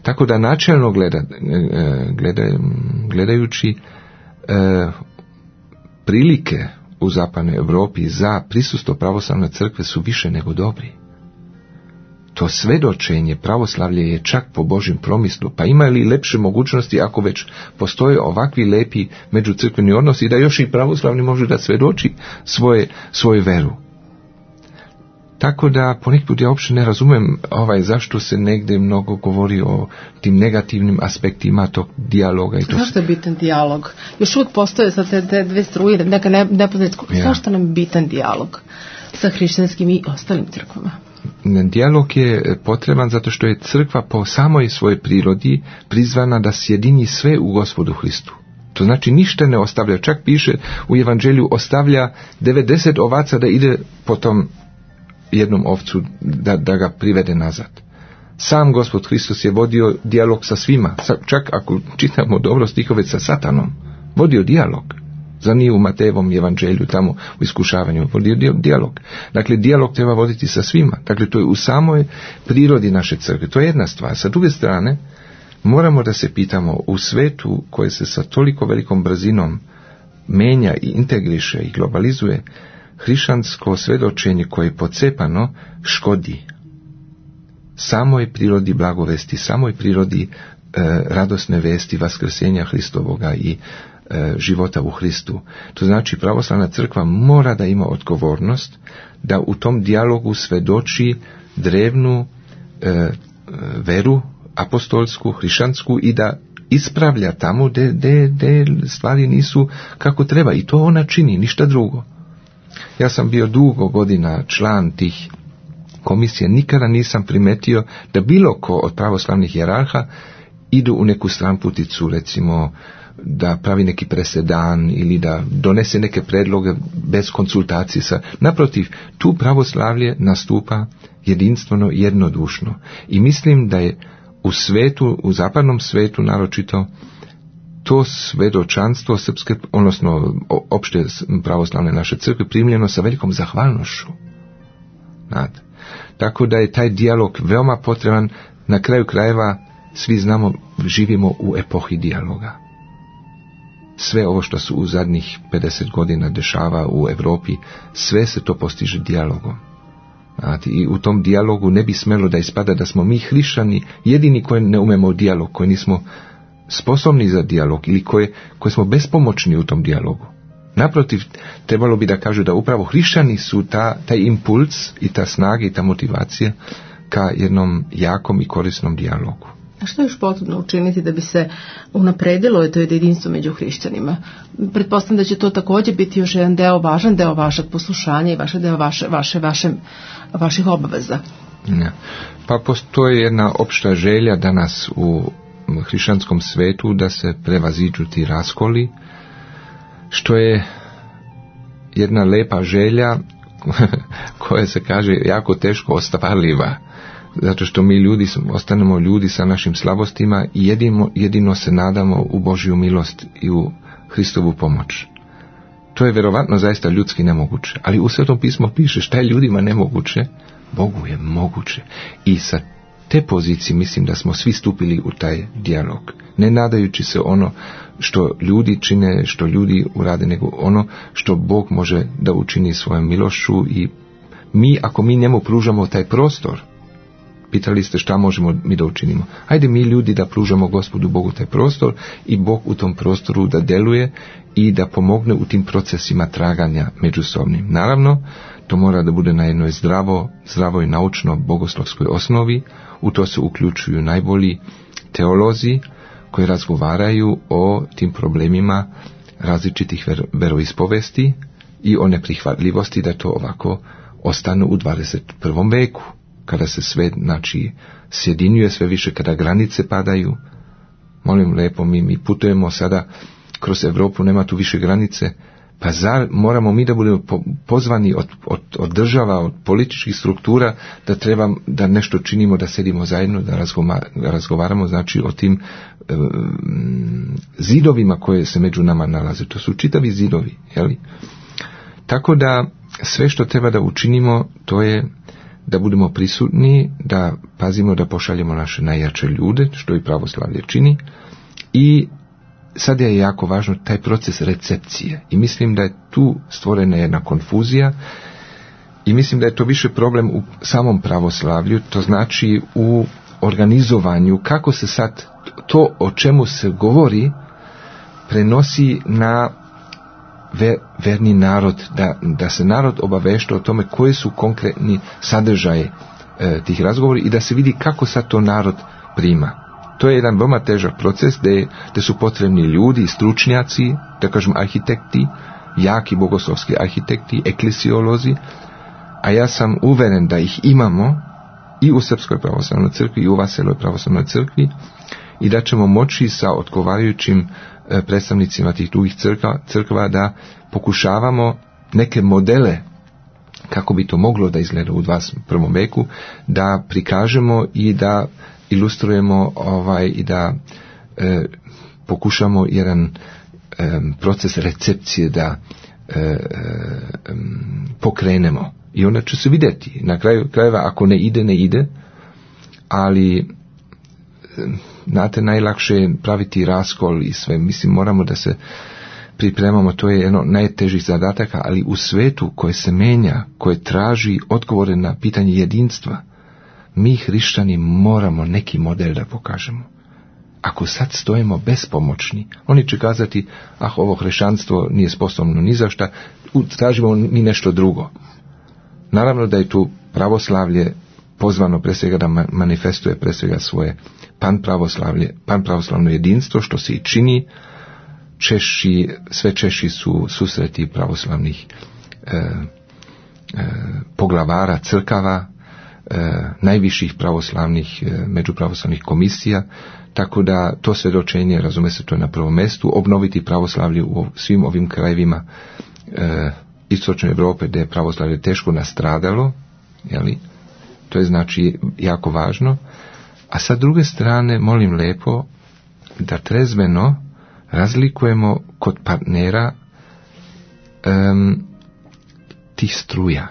Tako da načelno gledajući prilike u zapadnoj Europi za prisustvo pravoslavne crkve su više nego dobri. To svedočenje pravoslavlje je čak po Božjem promislu, pa ima li lepše mogućnosti ako već postoje ovakvi lepi međucrkveni odnosi da još i pravoslavni može da svedoči svoju veru. Tako da ponekad ja uopšte ne razumem zašto se negde mnogo govori o tim negativnim aspektima tog dijaloga. I to zašto je bitan dijalog? Još uvijek postoje sad te dve struje, neka nepoznatsko. Zašto nam je bitan dijalog sa hrišćanskim i ostalim crkvama? Dijalog je potreban zato što je crkva po samoj svojoj prirodi prizvana da sjedini sve u Gospodu Hristu. To znači ništa ne ostavlja. Čak piše u Evanđelju ostavlja 90 ovaca da ide po tom jednom ovcu da ga privede nazad. Sam Gospod Hristos je vodio dijalog sa svima. Čak ako čitamo dobro stihove sa Satanom, vodio dijalog. Za nije u Matejevom evanđelju tamo u iskušavanju vodio dijalog. Dakle, dijalog treba voditi sa svima. Dakle, to je u samoj prirodi naše crkve. To je jedna stvar. Sa druge strane, moramo da se pitamo u svetu koje se sa toliko velikom brzinom menja i integriše i globalizuje, hrišćansko svedočenje koje je pocepano škodi samoj prirodi blagovesti, samoj prirodi radosne vesti vaskrsenja Hristovoga i života u Hristu. To znači pravoslavna crkva mora da ima odgovornost da u tom dijalogu svedoči drevnu veru apostolsku, hrišćansku i da ispravlja tamo gde stvari nisu kako treba. I to ona čini, ništa drugo. Ja sam bio dugo godina član tih komisija, nikada nisam primetio da bilo ko od pravoslavnih hijerarha idu u neku stranputicu, recimo da pravi neki presedan ili da donese neke predloge bez konsultacije sa. Naprotiv, tu pravoslavlje nastupa jedinstveno, jednodušno. I mislim da je u svetu, u zapadnom svetu naročito, to svedočanstvo srpske, odnosno opšte pravoslavne naše crkve primljeno sa velikom zahvalnošću. Tako da je taj dijalog veoma potreban. Na kraju krajeva svi znamo, živimo u epohi dijaloga. Sve ovo što se u zadnjih 50 godina dešava u Europi, sve se to postiže dijalogom. I u tom dijalogu ne bi smelo da ispada da smo mi hrišćani jedini koji ne umemo dijalog, koji nismo sposobni za dijalog ili koji smo bespomoćni u tom dijalogu. Naprotiv, trebalo bi da kažu da upravo hrišćani su taj impuls i ta snaga i ta motivacija ka jednom jakom i korisnom dijalogu. A što je još potrebno učiniti da bi se unapredilo to jedinstvo među hrišćanima? Pretpostavljam da će to također biti još jedan deo, važan deo vašeg poslušanja i vaših obaveza. Ja. Pa postoji jedna opšta želja danas u hrišćanskom svetu da se prevaziđu ti raskoli, što je jedna lepa želja koja se kaže jako teško ostvarljiva. Zato što mi ljudi ostanemo ljudi sa našim slabostima i jedino se nadamo u Božju milost i u Hristovu pomoć. To je vjerovatno zaista ljudski nemoguće, ali u Svetom pismu piše šta je ljudima nemoguće, Bogu je moguće. I sa te pozicije mislim da smo svi stupili u taj dijalog, ne nadajući se ono što ljudi čine, što ljudi urade, nego ono što Bog može da učini svojom milošću. I mi, ako mi njemu pružamo taj prostor, pitali ste šta možemo mi da učinimo. Hajde mi ljudi da pružamo Gospodu Bogu taj prostor i Bog u tom prostoru da deluje i da pomogne u tim procesima traganja međusobnim. Naravno, to mora da bude na jednoj zdravoj naučno bogoslovskoj osnovi. U to se uključuju najbolji teolozi koji razgovaraju o tim problemima različitih veroispovesti i o neprihvatljivosti da to ovako ostane u 21. veku. Kada se sve, sjedinjuje sve više, kada granice padaju. Molim lepo, mi putujemo sada kroz Europu, nema tu više granice, Pa zar moramo mi da budemo pozvani od država, od političkih struktura da nešto činimo, da sedimo zajedno, da razgovaramo, znači o tim zidovima koje se među nama nalaze. To su čitavi zidovi, jeli? Tako da sve što treba da učinimo, to je da budemo prisutni, da pazimo da pošaljemo naše najjače ljude, što i pravoslavlje čini, i sad je jako važno taj proces recepcije. I mislim da je tu stvorena jedna konfuzija i mislim da je to više problem u samom pravoslavlju, to znači u organizovanju, kako se sad to o čemu se govori prenosi na verni narod, da se narod obavešta o tome koji su konkretni sadržaje tih razgovora i da se vidi kako sad to narod prima. To je jedan veoma težak proces gdje su potrebni ljudi, stručnjaci, da kažem arhitekti, jaki bogoslovski arhitekti, eklesiolozi, a ja sam uveren da ih imamo i u Srpskoj pravoslavnoj crkvi i u Vaseloj pravoslavnoj crkvi i da ćemo moći sa odgovarajućim predstavnicima tih drugih crkva da pokušavamo neke modele kako bi to moglo da izgleda u 21. veku, da prikažemo i da ilustrujemo i da pokušamo jedan proces recepcije da pokrenemo. I onda će se vidjeti. Na kraju krajeva, ako ne ide, ali znate, najlakše je praviti raskol i sve. Mislim, moramo da se pripremamo, to je jedno najtežih zadataka, ali u svetu koje se menja, koje traži odgovore na pitanje jedinstva, mi hrišćani moramo neki model da pokažemo. Ako sad stojimo bespomoćni, oni će kazati, ovo hrišćanstvo nije sposobno ni za šta, tražimo mi nešto drugo. Naravno da je tu pravoslavlje pozvano pre svega da manifestuje pre svega svoje panpravoslavno jedinstvo, što se i čini. Sve češći su susreti pravoslavnih poglavara crkava, najviših pravoslavnih, međupravoslavnih komisija, tako da to svjedočenje, razume se, to je na prvom mjestu, obnoviti pravoslavlje u svim ovim krajevima istočne Europe gdje je pravoslavlje teško nastradalo, jeli? To je znači jako važno. A sa druge strane, molim lepo da trezveno razlikujemo kod partnera tih struja.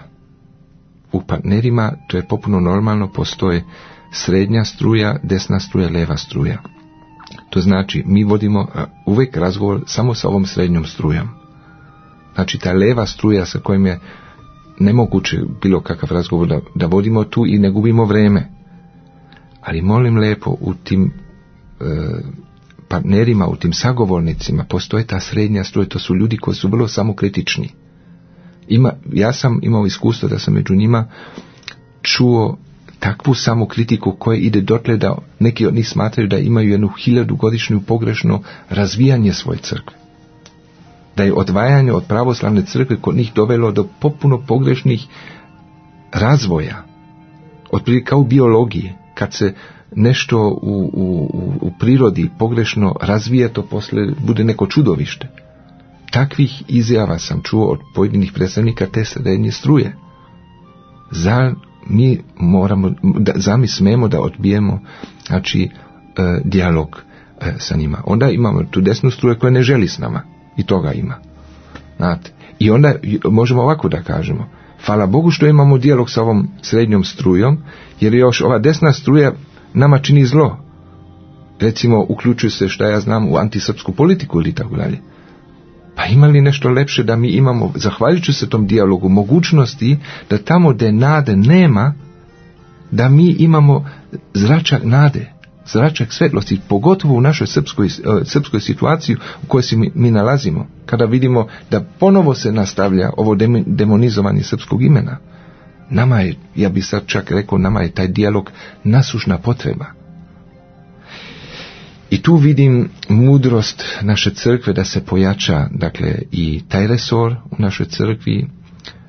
U partnerima to je popuno normalno, postoje srednja struja, desna struja, leva struja. To znači mi vodimo uvijek razgovor samo sa ovom srednjom strujom. Znači ta leva struja sa kojim je nemoguće bilo kakav razgovor da vodimo tu i ne gubimo vreme. Ali molim lepo, u tim partnerima, u tim sagovornicima postoje ta srednja struja, to su ljudi koji su vrlo samokritični. Ja sam imao iskustvo da sam među njima čuo takvu samokritiku koja ide dotle da neki od njih smatraju da imaju jednu 1000-godišnju pogrešno razvijanje svoje crkve. Da je odvajanje od pravoslavne crkve kod njih dovelo do potpuno pogrešnih razvoja. Otprilike kao u biologiji, kad se nešto u prirodi pogrešno razvija, to poslije bude neko čudovište. Takvih izjava sam čuo od pojedinih predstavnika te srednje struje. Zar mi smemo da odbijemo, znači, dijalog sa njima. Onda imamo tu desnu struju koja ne želi s nama. I toga ima. Znate. I onda možemo ovako da kažemo. Hvala Bogu što imamo dijalog sa ovom srednjom strujom, jer još ova desna struja nama čini zlo. Recimo, uključuje se, šta ja znam, u antisrpsku politiku ili tako dalje. Pa ima li nešto lepše da mi imamo, zahvaljujući se tom dijalogu, mogućnosti da tamo gdje nade nema, da mi imamo zračak nade, zračak svetlosti, pogotovo u našoj srpskoj situaciji u kojoj se mi nalazimo, kada vidimo da ponovo se nastavlja ovo demonizovanje srpskog imena. Nama je, ja bi sad čak rekao, nama je taj dijalog nasušna potreba. I tu vidim mudrost naše crkve da se pojača, dakle, i taj resor u našoj crkvi.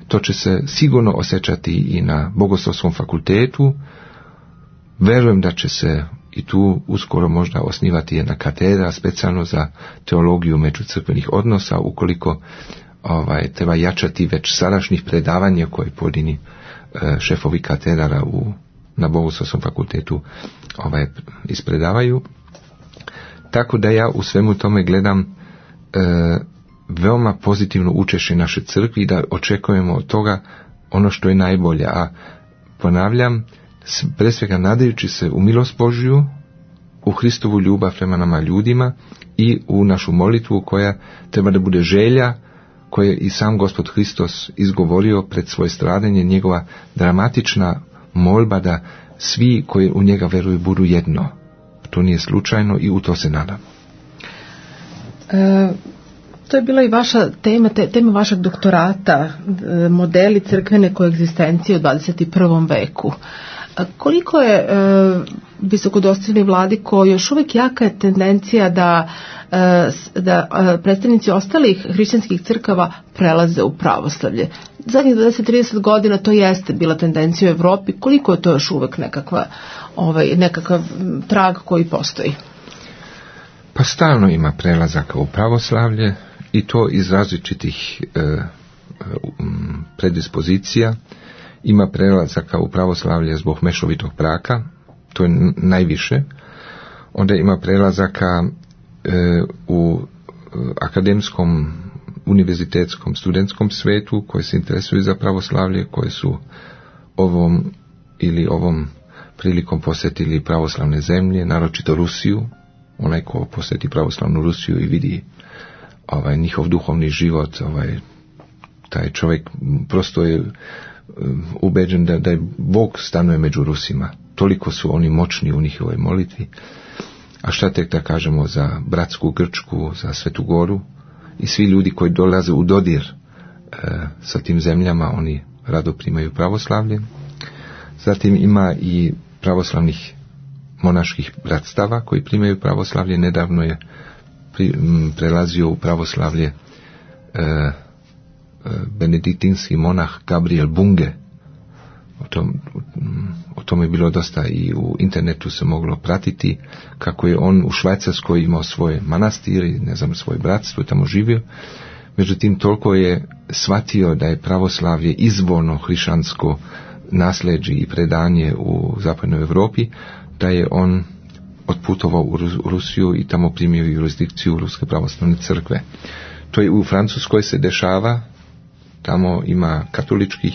To će se sigurno osjećati i na Bogoslovskom fakultetu. Verujem da će se i tu uskoro možda osnivati jedna katedra specijalno za teologiju međucrkvenih odnosa, ukoliko treba jačati već sadašnjih predavanja koje pojedini šefovi katedara na Bogoslovskom fakultetu ispredavaju. Tako da ja u svemu tome gledam veoma pozitivno učešće naše crkvi i da očekujemo od toga ono što je najbolje. A ponavljam, pre svega nadajući se u milost Božju, u Hristovu ljubav prema nama ljudima i u našu molitvu koja treba da bude želja koje je i sam Gospod Hristos izgovorio pred svoje stradanje, njegova dramatična molba da svi koji u njega veruju budu jedno. To nije slučajno i u to se nadam. To je bila i vaša tema vašeg doktorata, modeli crkvene koegzistencije u 21. veku. Koliko je visokodostojni vladiko još uvijek jaka je tendencija da predstavnici ostalih hrišćanskih crkava prelaze u pravoslavlje? Zadnjih 20-30 godina to jeste bila tendencija u Evropi. Koliko je to još uvijek nekakav trag koji postoji? Pa stalno ima prelazaka u pravoslavlje i to iz različitih predispozicija. Ima prelazaka u pravoslavlje zbog mešovitog braka, to je najviše. Onda ima prelazaka u akademskom, univerzitetskom, studentskom svetu koji se interesuju za pravoslavlje, koji su ovom prilikom posjetili pravoslavne zemlje, naročito Rusiju. Onaj ko posjeti pravoslavnu Rusiju i vidi njihov duhovni život, taj čovjek prosto je ubeđen da je Bog stanuje među Rusima. Toliko su oni moćni u njihovoj molitvi. A šta tek da kažemo za bratsku Grčku, za Svetu Goru i svi ljudi koji dolaze u dodir sa tim zemljama, oni rado primaju pravoslavlje. Zatim ima i pravoslavnih monaških bratstava koji primaju pravoslavlje. Nedavno je prelazio u pravoslavlje benediktinski monah Gabriel Bunge. O tome je bilo dosta i u internetu se moglo pratiti kako je on u Švajcarskoj imao svoje manastiri, svoje bratstvo i tamo živio. Međutim, toliko je shvatio da je pravoslavlje izvorno hrišćansko nasljeđe i predanje u zapadnoj Europi, da je on otputovao u Rusiju i tamo primio jurisdikciju Ruske pravoslavne crkve. To je u Francuskoj se dešava, tamo ima katoličkih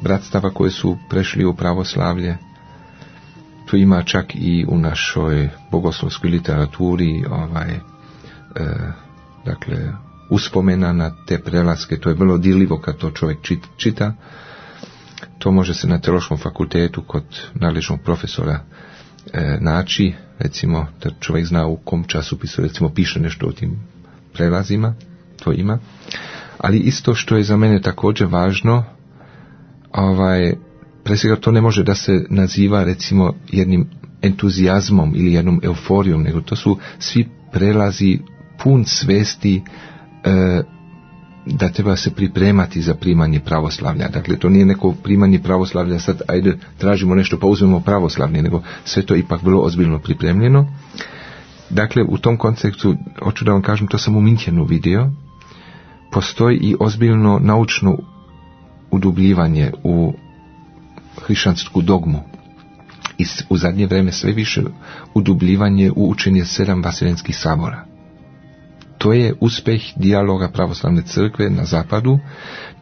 bratstava koje su prešli u pravoslavlje. Tu ima čak i u našoj bogoslovskoj literaturi uspomena na te prelaske. To je vrlo dirljivo kad to čovjek čita. To može se na Teološkom fakultetu kod nadležnog profesora naći, recimo da čovjek zna u kom časopisu recimo piše nešto o tim prelazima, to ima. Ali isto što je za mene također važno, pre svega to ne može da se naziva recimo jednim entuzijazmom ili jednom euforijom, nego to su svi prelazi pun svesti da treba se pripremati za primanje pravoslavlja. Dakle, to nije neko primanje pravoslavlja, sad ajde tražimo nešto pa uzmemo pravoslavlje, nego sve to ipak vrlo ozbiljno pripremljeno. Dakle, u tom kontekstu, hoću da vam kažem, to sam u Minchenu vidio, postoji i ozbiljno naučno udubljivanje u hrišćansku dogmu. I u zadnje vreme sve više udubljivanje u učenje 7 vaseljenskih sabora. To je uspjeh dijaloga pravoslavne crkve na zapadu,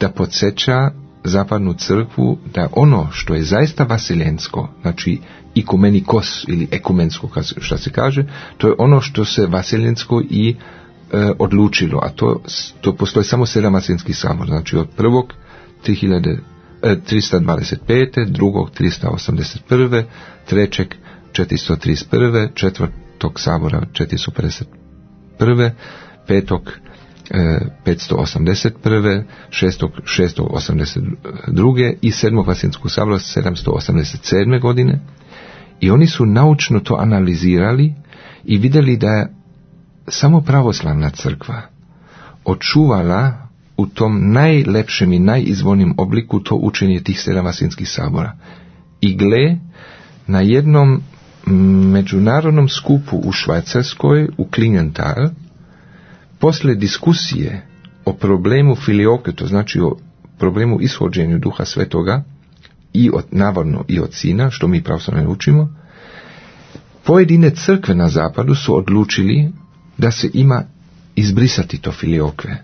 da podsjeća zapadnu crkvu da ono što je zaista vaseljensko, znači ikumenikos ili ekumensko, što se kaže, to je ono što se vaseljensko i odlučilo, a to postoji samo 7 vaseljenskih sabora, znači od prvog 325, drugog 381, trećeg 431, četvrtog sabora 451, petog 581, šestog 682 i sedmog vaseljenskog sabora 787. godine. I oni su naučno to analizirali i vidjeli da je samo pravoslavna crkva očuvala u tom najlepšem i najizvornijem obliku to učenje tih 7 vaseljenskih sabora. I gle, na jednom međunarodnom skupu u Švajcarskoj, u Klingenthal, posle diskusije o problemu filioke, to znači o problemu ishođenju Duha Svetoga, navodno i od Sina, što mi pravoslavni učimo, pojedine crkve na zapadu su odlučili da se ima izbrisati to filiokve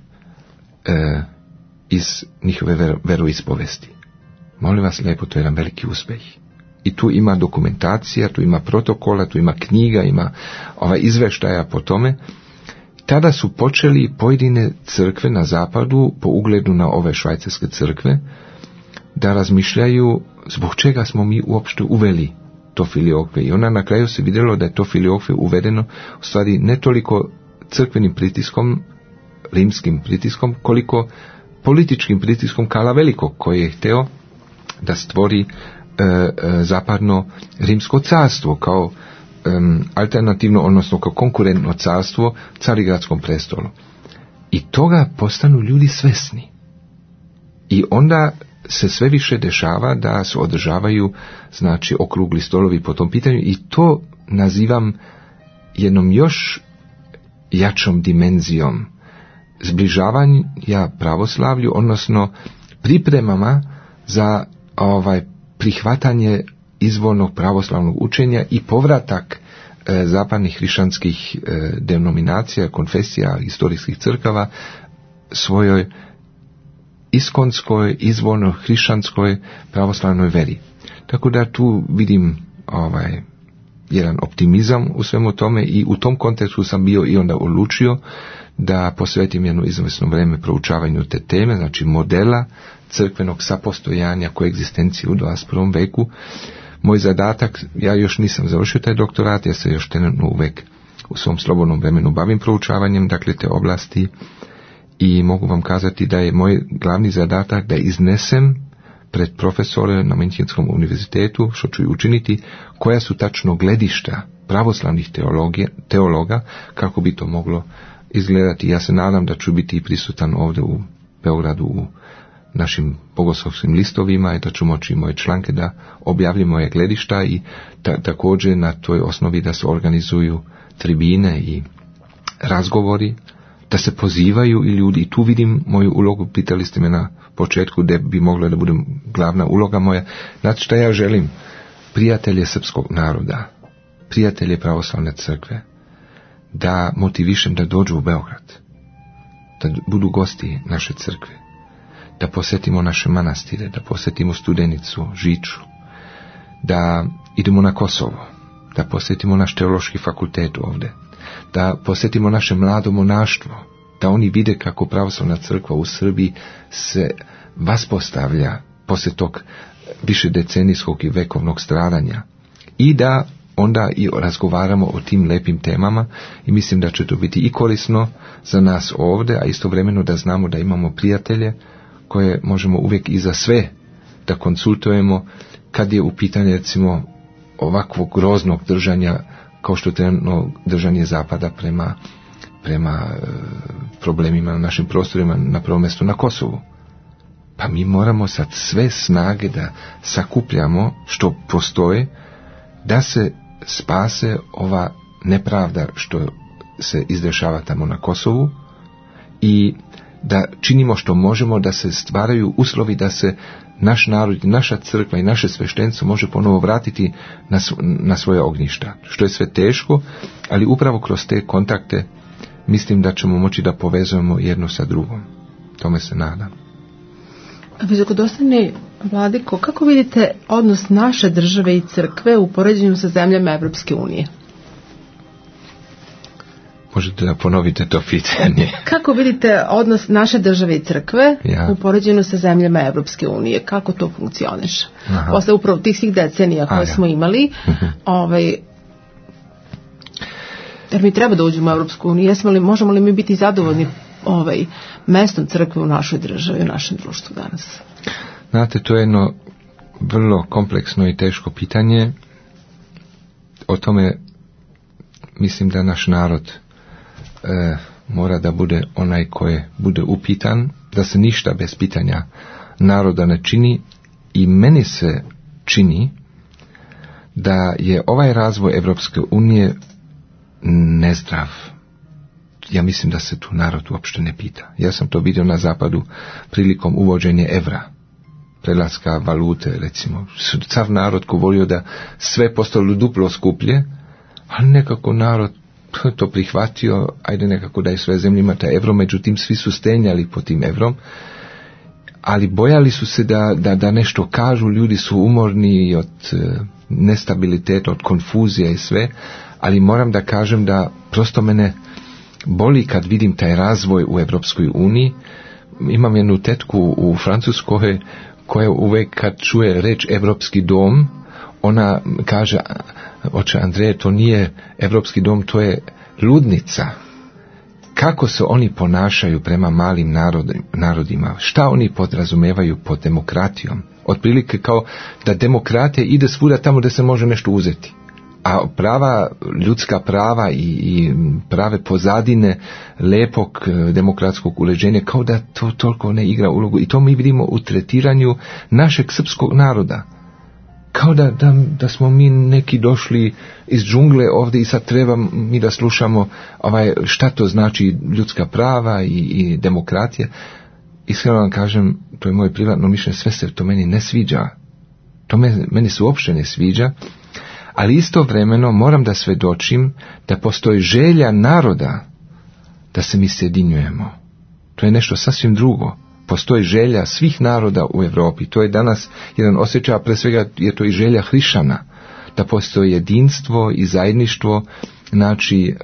iz njihove veroispovesti. Molim vas lijepo, to je jedan veliki uspjeh. I tu ima dokumentacija, tu ima protokola, tu ima knjiga, ima izveštaja po tome. Tada su počeli pojedine crkve na zapadu, po ugledu na ove švajcarske crkve, da razmišljaju zbog čega smo mi uopšte uveli to filiokve. I ona na kraju se vidjelo da je to filiokve uvedeno u stvari ne toliko crkvenim pritiskom, rimskim pritiskom, koliko političkim pritiskom Karla Velikog, koji je hteo da stvori zapadno rimsko carstvo kao alternativno, odnosno kao konkurentno carstvo Carigradskom prestolu. I toga postanu ljudi svesni. I onda se sve više dešava da se održavaju, znači, okrugli stolovi po tom pitanju, i to nazivam jednom još jačom dimenzijom zbližavanja pravoslavlju, odnosno pripremama za prihvatanje izvornog pravoslavnog učenja i povratak zapadnih hrišćanskih denominacija, konfesija, historijskih crkava svojoj iskonskoj, izvorno hrišćanskoj pravoslavnoj veri. Tako da tu vidim jedan optimizam u svemu tome, i u tom kontekstu sam bio i onda odlučio da posvetim jedno izvesno vrijeme proučavanju te teme, znači modela crkvenog sapostojanja, koegzistencije u 21. veku. Moj zadatak, ja još nisam završio taj doktorat, ja se još trenutno uvek u svom slobodnom vremenu bavim proučavanjem, dakle, te oblasti, i mogu vam kazati da je moj glavni zadatak da iznesem pred profesore na Münchenskom univerzitetu, što ću i učiniti, koja su tačno gledišta pravoslavnih teologa, kako bi to moglo izgledati. Ja se nadam da ću biti prisutan ovdje u Beogradu u našim bogoslovskim listovima i da ću moći moje članke da objavljim moje gledišta, i također na toj osnovi da se organizuju tribine i razgovori, da se pozivaju i ljudi. I tu vidim moju ulogu. Pitali ste me na početku gdje bi mogla da bude glavna uloga moja. Znači šta ja želim? Prijatelje srpskog naroda, prijatelje pravoslavne crkve, da motivišem da dođu u Beograd, da budu gosti naše crkve, da posjetimo naše manastire, da posjetimo Studenicu, Žiču, da idemo na Kosovo, da posjetimo naš teološki fakultet ovdje, da posjetimo naše mlado monaštvo, da oni vide kako pravoslavna crkva u Srbiji se vaspostavlja poslije tog višedecenijskog i vekovnog stradanja, i da onda i razgovaramo o tim lepim temama, i mislim da će to biti i korisno za nas ovdje, a istovremeno da znamo da imamo prijatelje koje možemo uvijek i za sve da konsultujemo kad je u pitanju, recimo, ovakvog groznog držanja kao što je trenutno držanje Zapada prema problemima na našim prostorima, na prvom mjestu na Kosovu. Pa mi moramo sad sve snage da sakupljamo što postoje, da se spase ova nepravda što se izdešava tamo na Kosovu, i da činimo što možemo da se stvaraju uslovi da se naš narod, naša crkva i naše sveštenstvo može ponovo vratiti na svoje ognjišta. Što je sve teško, ali upravo kroz te kontakte mislim da ćemo moći da povezujemo jedno sa drugom. Tome se nadam. Visokodostojni vladiko, kako vidite odnos naše države i crkve u poređenju sa zemljama Evropske unije? Možete da ponovite to pitanje? Kako vidite odnos naše države i crkve u poređenju sa zemljama Evropske unije? Kako to funkcioniše? Posle upravo tih svih decenija koje smo imali, jer mi treba da uđemo u Evropsku uniju, možemo li mi biti zadovoljni mestom crkve u našoj državi, u našem društvu danas? Znate, to je jedno vrlo kompleksno i teško pitanje. O tome mislim da naš narod mora da bude onaj koji bude upitan, da se ništa bez pitanja naroda ne čini, i meni se čini da je ovaj razvoj Evropske unije nezdrav. ja mislim da se tu narod uopšte ne pita. Ja sam to vidio na zapadu prilikom uvođenja evra, prelaska valute, recimo. Sav narod ko volio da sve postalo duplo skuplje, ali nekako narod to prihvatio, ajde nekako da je sve zemljima ta evro, međutim svi su stenjali po tim evrom, ali bojali su se da nešto kažu, ljudi su umorni od nestabiliteta, od konfuzija i sve, ali moram da kažem da prosto mene boli kad vidim taj razvoj u Evropskoj uniji. Imam jednu tetku u Francuskoj koja uvek kad čuje reč Evropski dom, ona kaže, oče Andreje, to nije Evropski dom, to je ludnica. Kako se oni ponašaju prema malim narodima? Šta oni podrazumevaju pod demokratijom? Otprilike kao da demokratija ide svuda tamo da se može nešto uzeti. A prava, ljudska prava i prave pozadine lepog demokratskog uređenja kao da to toliko ne igra ulogu. I to mi vidimo u tretiranju našeg srpskog naroda. Kao da smo mi neki došli iz džungle ovdje i sad treba mi da slušamo šta to znači ljudska prava i demokratija. Iskreno vam kažem, to je moje privatno mišljenje, sve se to meni ne sviđa. To meni se uopšte ne sviđa, ali istovremeno moram da svedočim da postoji želja naroda da se mi sjedinjujemo. To je nešto sasvim drugo. Postoji želja svih naroda u Europi. To je danas jedan osjećaj, a pre svega je to i želja hrišćana, da postoji jedinstvo i zajedništvo, znači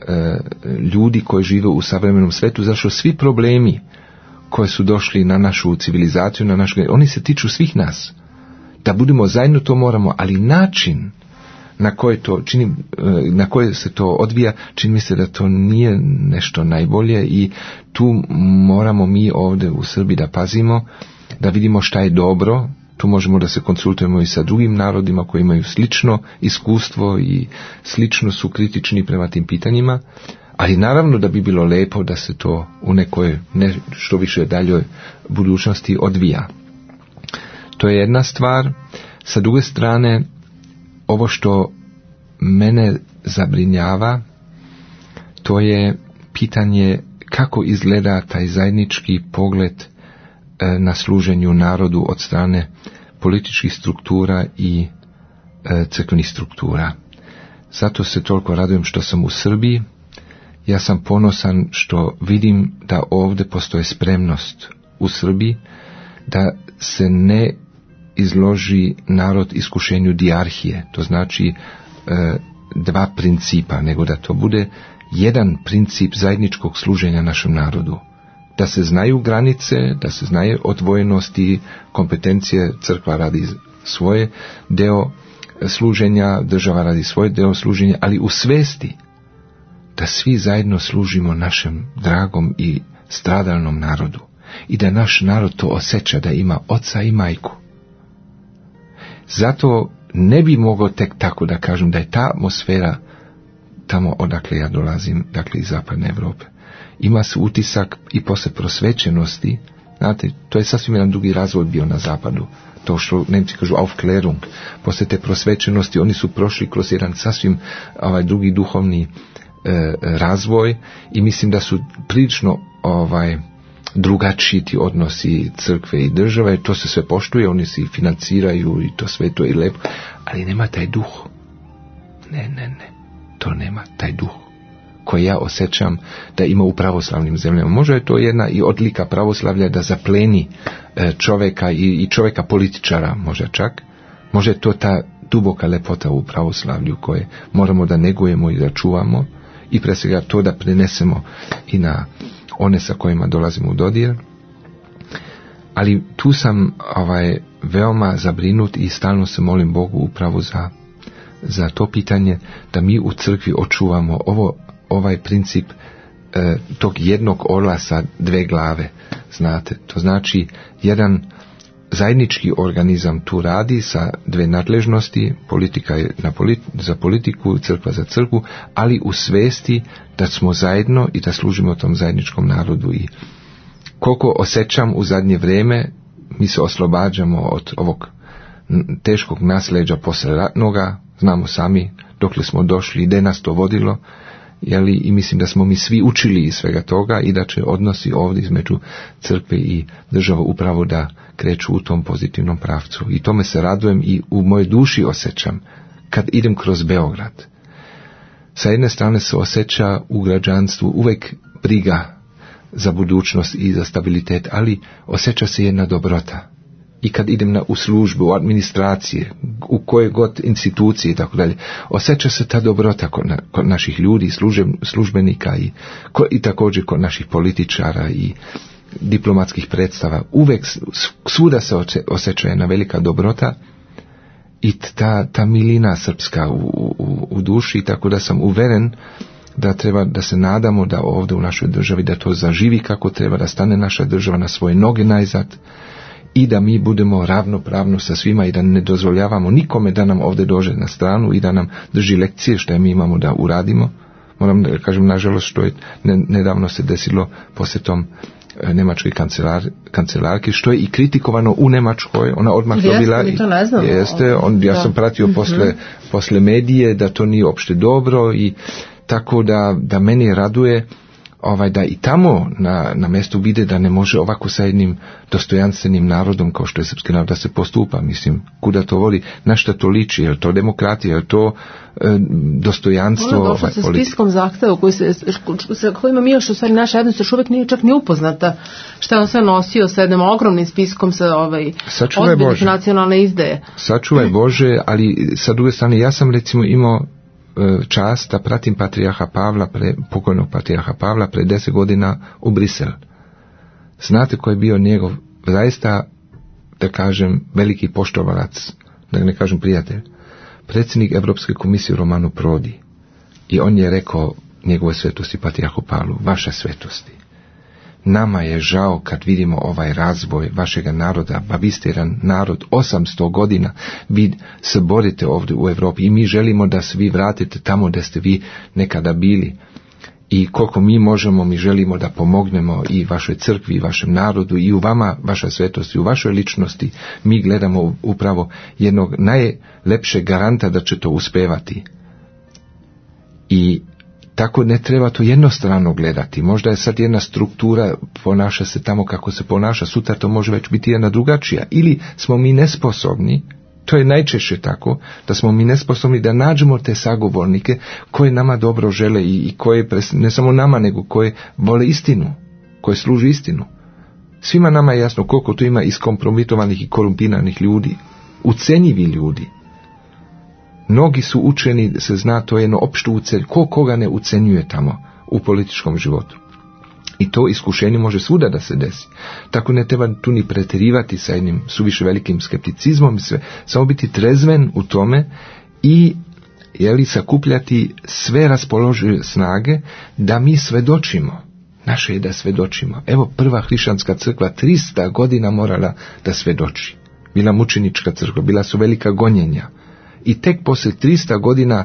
ljudi koji žive u savremenom svetu, zašto svi problemi koji su došli na našu civilizaciju, oni se tiču svih nas. Da budemo zajedno, to moramo, ali način na koje se to odvija, čini mi se da to nije nešto najbolje i tu moramo mi ovdje u Srbiji da pazimo, da vidimo šta je dobro. Tu možemo da se konsultujemo i sa drugim narodima koji imaju slično iskustvo i slično su kritični prema tim pitanjima, ali naravno da bi bilo lepo da se to u nekoj što više daljoj budućnosti odvija. To je jedna stvar. Sa druge strane, ovo što mene zabrinjava, to je pitanje kako izgleda taj zajednički pogled na služenju narodu od strane političkih struktura i crkvenih struktura. Zato se toliko radujem što sam u Srbiji. Ja sam ponosan što vidim da ovdje postoji spremnost u Srbiji da se ne izloži narod iskušenju dijarhije, to znači dva principa, nego da to bude jedan princip zajedničkog služenja našem narodu. Da se znaju granice, da se znaje odvojenosti, kompetencije, crkva radi svoje deo služenja, država radi svoje deo služenja, ali u svesti da svi zajedno služimo našem dragom i stradalnom narodu i da naš narod to osjeća da ima oca i majku. Zato ne bi mogao tek tako da kažem da je ta atmosfera tamo odakle ja dolazim, dakle iz zapadne Europe. Ima se utisak i posle prosvećenosti, znate, to je sasvim jedan drugi razvoj bio na zapadu, to što Nemci kažu Aufklärung, posle te prosvećenosti oni su prošli kroz jedan sasvim drugi duhovni razvoj i mislim da su prilično drugačiji ti odnosi crkve i države, to se sve poštuje, oni se financiraju i to sve to je lepo, ali nema taj duh. Ne, to nema taj duh koji ja osjećam da ima u pravoslavnim zemljama. Možda je to jedna i odlika pravoslavlja da zapleni čoveka i čoveka političara, možda čak. Možda je to ta duboka lepota u pravoslavlju koje moramo da negujemo i da čuvamo i pre svega to da prenesemo i na one sa kojima dolazimo u dodir. Ali tu sam veoma zabrinut i stalno se molim Bogu upravo za to pitanje da mi u crkvi očuvamo ovaj princip tog jednog orla sa dve glave, znate, to znači jedan zajednički organizam tu radi sa dve nadležnosti, politika je za politiku, crkva za crkvu, ali u svesti da smo zajedno i da služimo tom zajedničkom narodu. I koliko osjećam u zadnje vrijeme, mi se oslobađamo od ovog teškog nasleđa posle ratnoga, znamo sami dokle smo došli i gde nas to vodilo, i mislim da smo mi svi učili iz svega toga i da će odnosi ovdje između crkve i države upravo da kreću u tom pozitivnom pravcu. I tome se radujem i u mojoj duši osjećam kad idem kroz Beograd. Sa jedne strane se osjeća u građanstvu uvijek briga za budućnost i za stabilitet, ali osjeća se jedna dobrota. I kad idem u službu, u administracije, u koje god institucije i tako dalje, osjeća se ta dobrota kod naših ljudi, službenika i također kod naših političara i diplomatskih predstava. Uvijek svuda se osjeća jedna velika dobrota i ta milina srpska u duši, tako da sam uveren da treba da se nadamo da ovdje u našoj državi da to zaživi kako treba, da stane naša država na svoje noge najzad i da mi budemo ravnopravno sa svima i da ne dozvoljavamo nikome da nam ovdje dođe na stranu i da nam drži lekcije što mi imamo da uradimo. Moram da kažem, nažalost, što je nedavno se desilo posjetom njemačke kancelarke, što je i kritikovano u Njemačkoj, ona odmah dobila ja sam pratio posle medije da to nije opšte dobro i tako da meni raduje da i tamo na mjestu vide da ne može ovako sa jednim dostojanstvenim narodom kao što je srpski narod da se postupa. Mislim, kuda to vodi, na šta to liči, je li to demokratija, je li to dostojanstvo? Ono došlo sa spiskom zahteva sa kojima mi još u stvari naša jednost još uvijek nije čak ni upoznata šta je on sve nosio sa jednim ogromnim spiskom sa ozbiljnih nacionalne izdaje. Sačuvaj Bože, ali sa druge strane ja sam recimo imao čast da pratim patrijarha Pavla, pokojnog patrijarha Pavla pre 10 godina u Brisel. Znate ko je bio njegov zaista, da kažem, veliki poštovalac, da ne kažem prijatelj, predsjednik Evropske komisije Romano Prodi. I on je rekao njegove svetosti patrijarhu Pavlu, vaša svetosti, nama je žao kad vidimo ovaj razvoj vašega naroda, pa vi ste jedan narod 800 godina, vi se borite ovdje u Europi i mi želimo da se vi vratite tamo gdje ste vi nekada bili. I koliko mi možemo, mi želimo da pomognemo i vašoj crkvi, i vašem narodu, i u vama, vaša svetost, i u vašoj ličnosti. Mi gledamo upravo jednog najlepšeg garanta da će to uspevati. I tako ne treba to jednostrano gledati. Možda je sad jedna struktura, ponaša se tamo kako se ponaša, sutra to može već biti jedna drugačija. Ili smo mi nesposobni, to je najčešće tako, da smo mi nesposobni da nađemo te sagovornike koje nama dobro žele i koje, ne samo nama, nego koje vole istinu, koje služi istinu. Svima nama je jasno koliko tu ima iskompromitovanih i korumpiranih ljudi, ucenjivi ljudi. Mnogi su učeni, se zna, to je jedno opšto ucenje. Koga ne ucenjuje tamo u političkom životu? I to iskušenje može svuda da se desi. Tako ne treba tu ni pretjerivati sa jednim suviše velikim skepticizmom, samo biti trezven u tome i sakupljati sve raspoložive snage da mi svedočimo. Naše je da svedočimo. Evo, prva hrišćanska crkva 300 godina morala da svedoči. Bila mučenička crkva, bila su velika gonjenja. I tek poslije 300 godina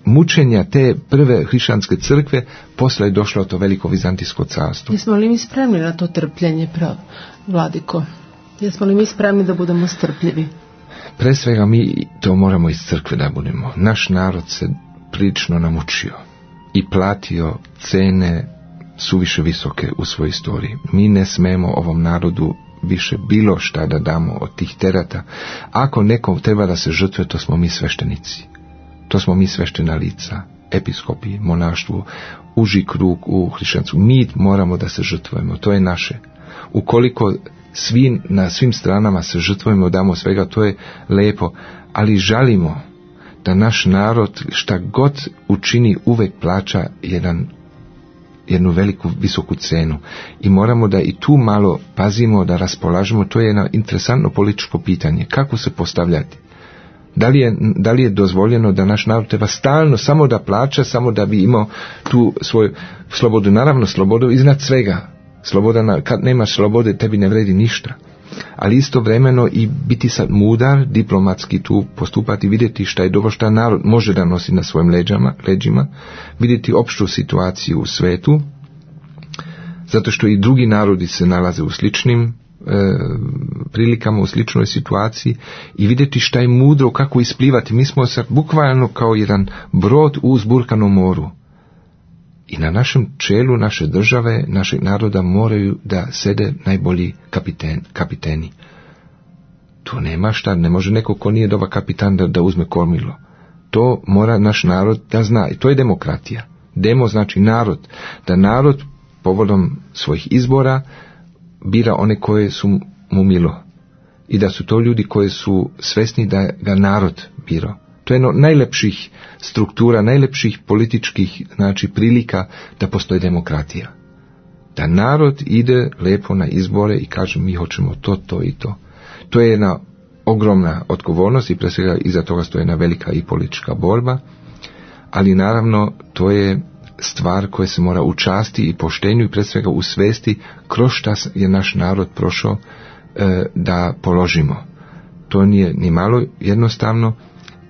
mučenja te prve hrišćanske crkve, posle je došlo to veliko vizantijsko carstvo. Jesmo li mi spremni na to trpljenje, vladiko? Jesmo li mi spremni da budemo strpljivi? Pre svega mi to moramo iz crkve da budemo. Naš narod se prilično namučio i platio cene suviše visoke u svojoj istoriji. Mi ne smemo ovom narodu više bilo šta da damo od tih terata. Ako nekom treba da se žrtvuje, to smo mi sveštenici. To smo mi sveštena lica, episkopi, monaštvu, uži krug u hrišćanstvu. Mi moramo da se žrtvujemo, to je naše. Ukoliko na svim stranama se žrtvujemo, damo svega, to je lepo, ali žalimo da naš narod šta god učini uvek plaća jednu veliku, visoku cenu. I moramo da i tu malo pazimo, da raspolažemo. To je jedno interesantno političko pitanje. Kako se postavljati? Da li je dozvoljeno da naš narod treba stalno samo da plaća, samo da bi imao tu svoju slobodu? Naravno, slobodu iznad svega. Sloboda, kad nemaš slobode, tebi ne vredi ništa. Ali istovremeno i biti sad mudar, diplomatski tu postupati, vidjeti šta je dobro, šta narod može da nosi na svojim leđima, vidjeti opštu situaciju u svetu, zato što i drugi narodi se nalaze u sličnim prilikama, u sličnoj situaciji, i vidjeti šta je mudro, kako isplivati. Mi smo sad bukvalno kao jedan brod u uzburkanom moru. I na našem čelu naše države, našeg naroda moraju da sede najbolji kapiteni. To nema šta, ne može neko ko nije dobar kapitan da uzme kormilo. To mora naš narod da zna. I to je demokratija. Demo znači narod. Da narod povodom svojih izbora bira one koje su mu milo. I da su to ljudi koji su svesni da ga narod birao. To je jedno najlepših struktura, najlepših političkih prilika da postoji demokratija. Da narod ide lepo na izbore i kaže mi hoćemo to i to. To je jedna ogromna odgovornost i pre svega iza toga stoji jedna velika i politička borba, ali naravno to je stvar koja se mora u časti i poštenju i pre svega u svesti kroz šta je naš narod prošao da položimo. To nije ni malo jednostavno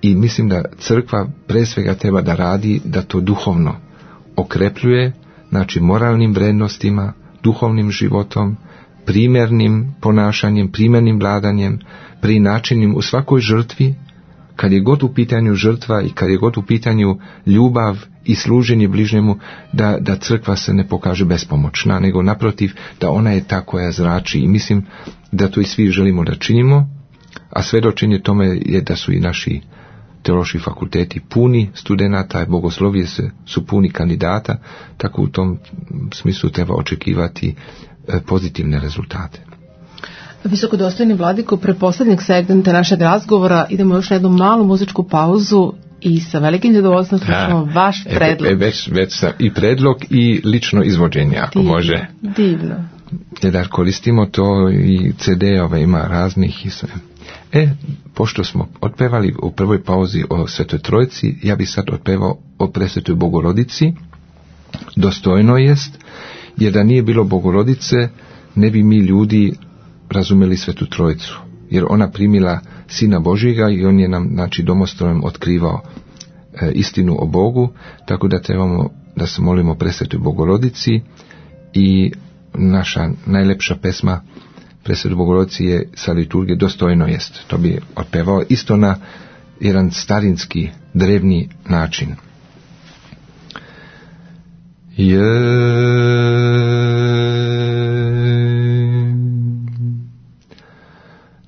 i mislim da crkva pre svega treba da radi da to duhovno okrepljuje, znači moralnim vrednostima, duhovnim životom, primjernim ponašanjem, primjernim vladanjem, prinačenim u svakoj žrtvi, kad je god u pitanju žrtva i kad je god u pitanju ljubav i služenje bližnjemu, da crkva se ne pokaže bespomoćna, nego naprotiv da ona je ta koja zrači i mislim da to i svi želimo da činimo, a svedočenje tome je da su i naši teološki fakulteti puni studenata, bogoslovije su puni kandidata, tako u tom smislu treba očekivati pozitivne rezultate. Visokodostojni vladiko, pre poslednjeg segmenta našeg razgovora idemo još na jednu malu muzičku pauzu i sa velikim zadovoljstvom slušamo vaš predlog. Već sam i predlog i lično izvođenje, ako divno, može. Divno. Da koristimo to i CD-ove ima raznih i sve. Pošto smo otpevali u prvoj pauzi o Svetoj Trojici, ja bi sad otpevao o Presvetoj Bogorodici. Dostojno jest, jer da nije bilo Bogorodice, ne bi mi ljudi razumeli Svetu Trojicu, jer ona primila Sina Božjega i on je nam, domostrojem otkrivao istinu o Bogu, tako da trebamo da se molimo Presvetoj Bogorodici i naša najlepša pesma Presvetoj Bogorodici je sa liturgije Dostojno jest. To bi otpevao isto na jedan starinski, drevni način.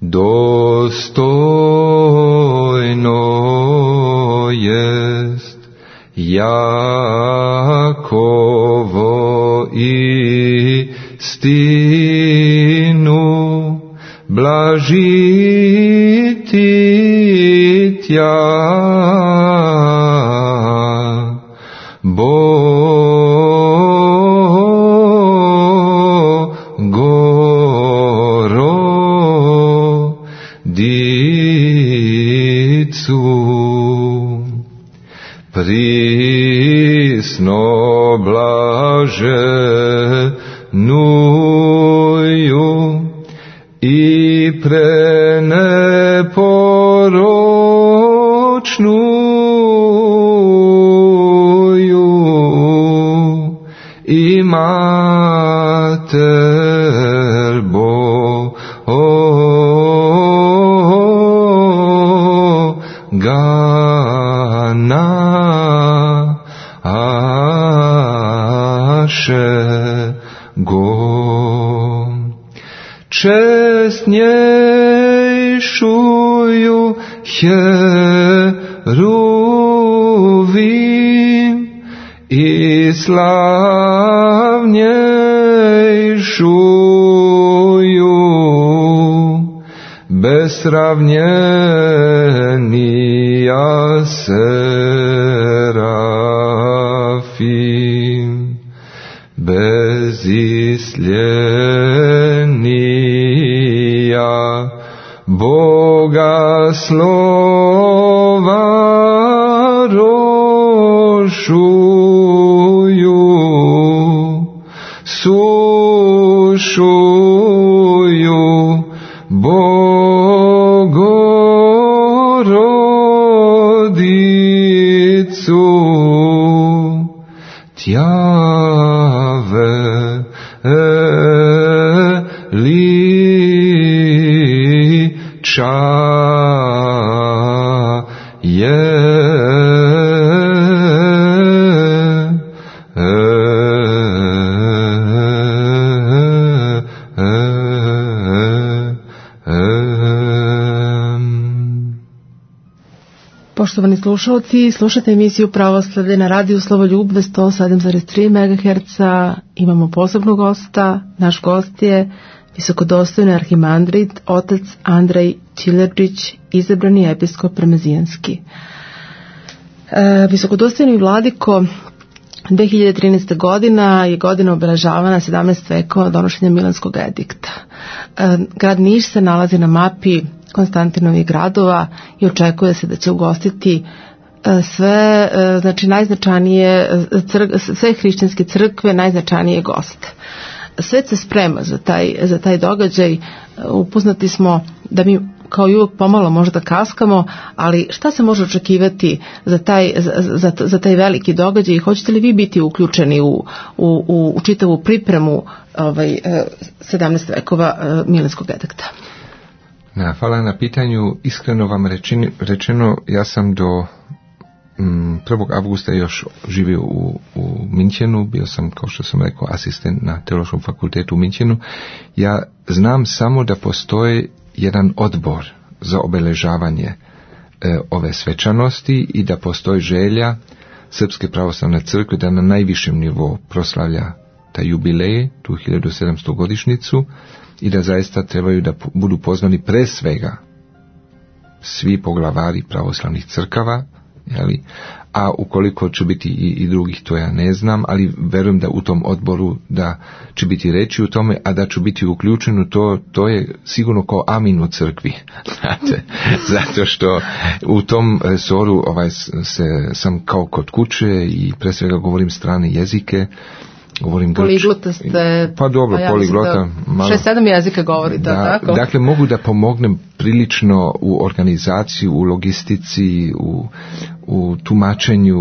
Dostojno jest Jakovo istinu blažiti tja prisno blaženuju i preneporočnuju i mater čestnjejšuju heruvim i slavnjejšuju besravnjenija serafim bezislenija Boga slova rošuju sušuju Bogorodicu tjave liča je Poštovani slušalci, slušate emisiju Pravoslavlje na radiju Slovoljubve 107,3 MHz. Imamo posebnog gosta. Naš gost je visokodostojni arhimandrit, otac Andrej Čilerđić, izabrani episkop Remezijanski. Visokodostojni vladiko, 2013. godina je godina obeležavana 17 vekova donošenja Milanskog edikta. Grad Niš se nalazi na mapi Konstantinovih gradova i očekuje se da će ugostiti sve, znači najznačajnije sve hrišćanske crkve, najznačajnije goste. Svet se sprema za taj događaj. Upoznati smo da mi kao i uvijek pomalo možda kaskamo, ali šta se može očekivati za taj veliki događaj i hoćete li vi biti uključeni u čitavu pripremu 17 vekova Milanskog edikta? Hvala na pitanju. Iskreno vam rečeno, ja sam do 1. avgusta još živio u Minchenu, bio sam, kao što sam rekao, asistent na Teološkom fakultetu u Minchenu. Ja znam samo da postoji jedan odbor za obeležavanje ove svečanosti i da postoji želja Srpske pravoslavne crkve da na najvišem nivou proslavlja taj jubilej, tu 1700 godišnjicu, i da zaista trebaju da budu pozvani pre svega svi poglavari pravoslavnih crkava, jeli? A ukoliko će biti i drugih, to ja ne znam, ali verujem da u tom odboru da će biti reći u tome, a da ću biti uključen, to je sigurno kao amin u crkvi. Znate, zato što u tom resoru sam kao kod kuće i pre svega govorim strane jezike, govorim poliglota ste, pa dobro, poliglota, 6-7 jezika govorite, tako? Dakle, mogu da pomognem prilično u organizaciji, u logistici, u tumačenju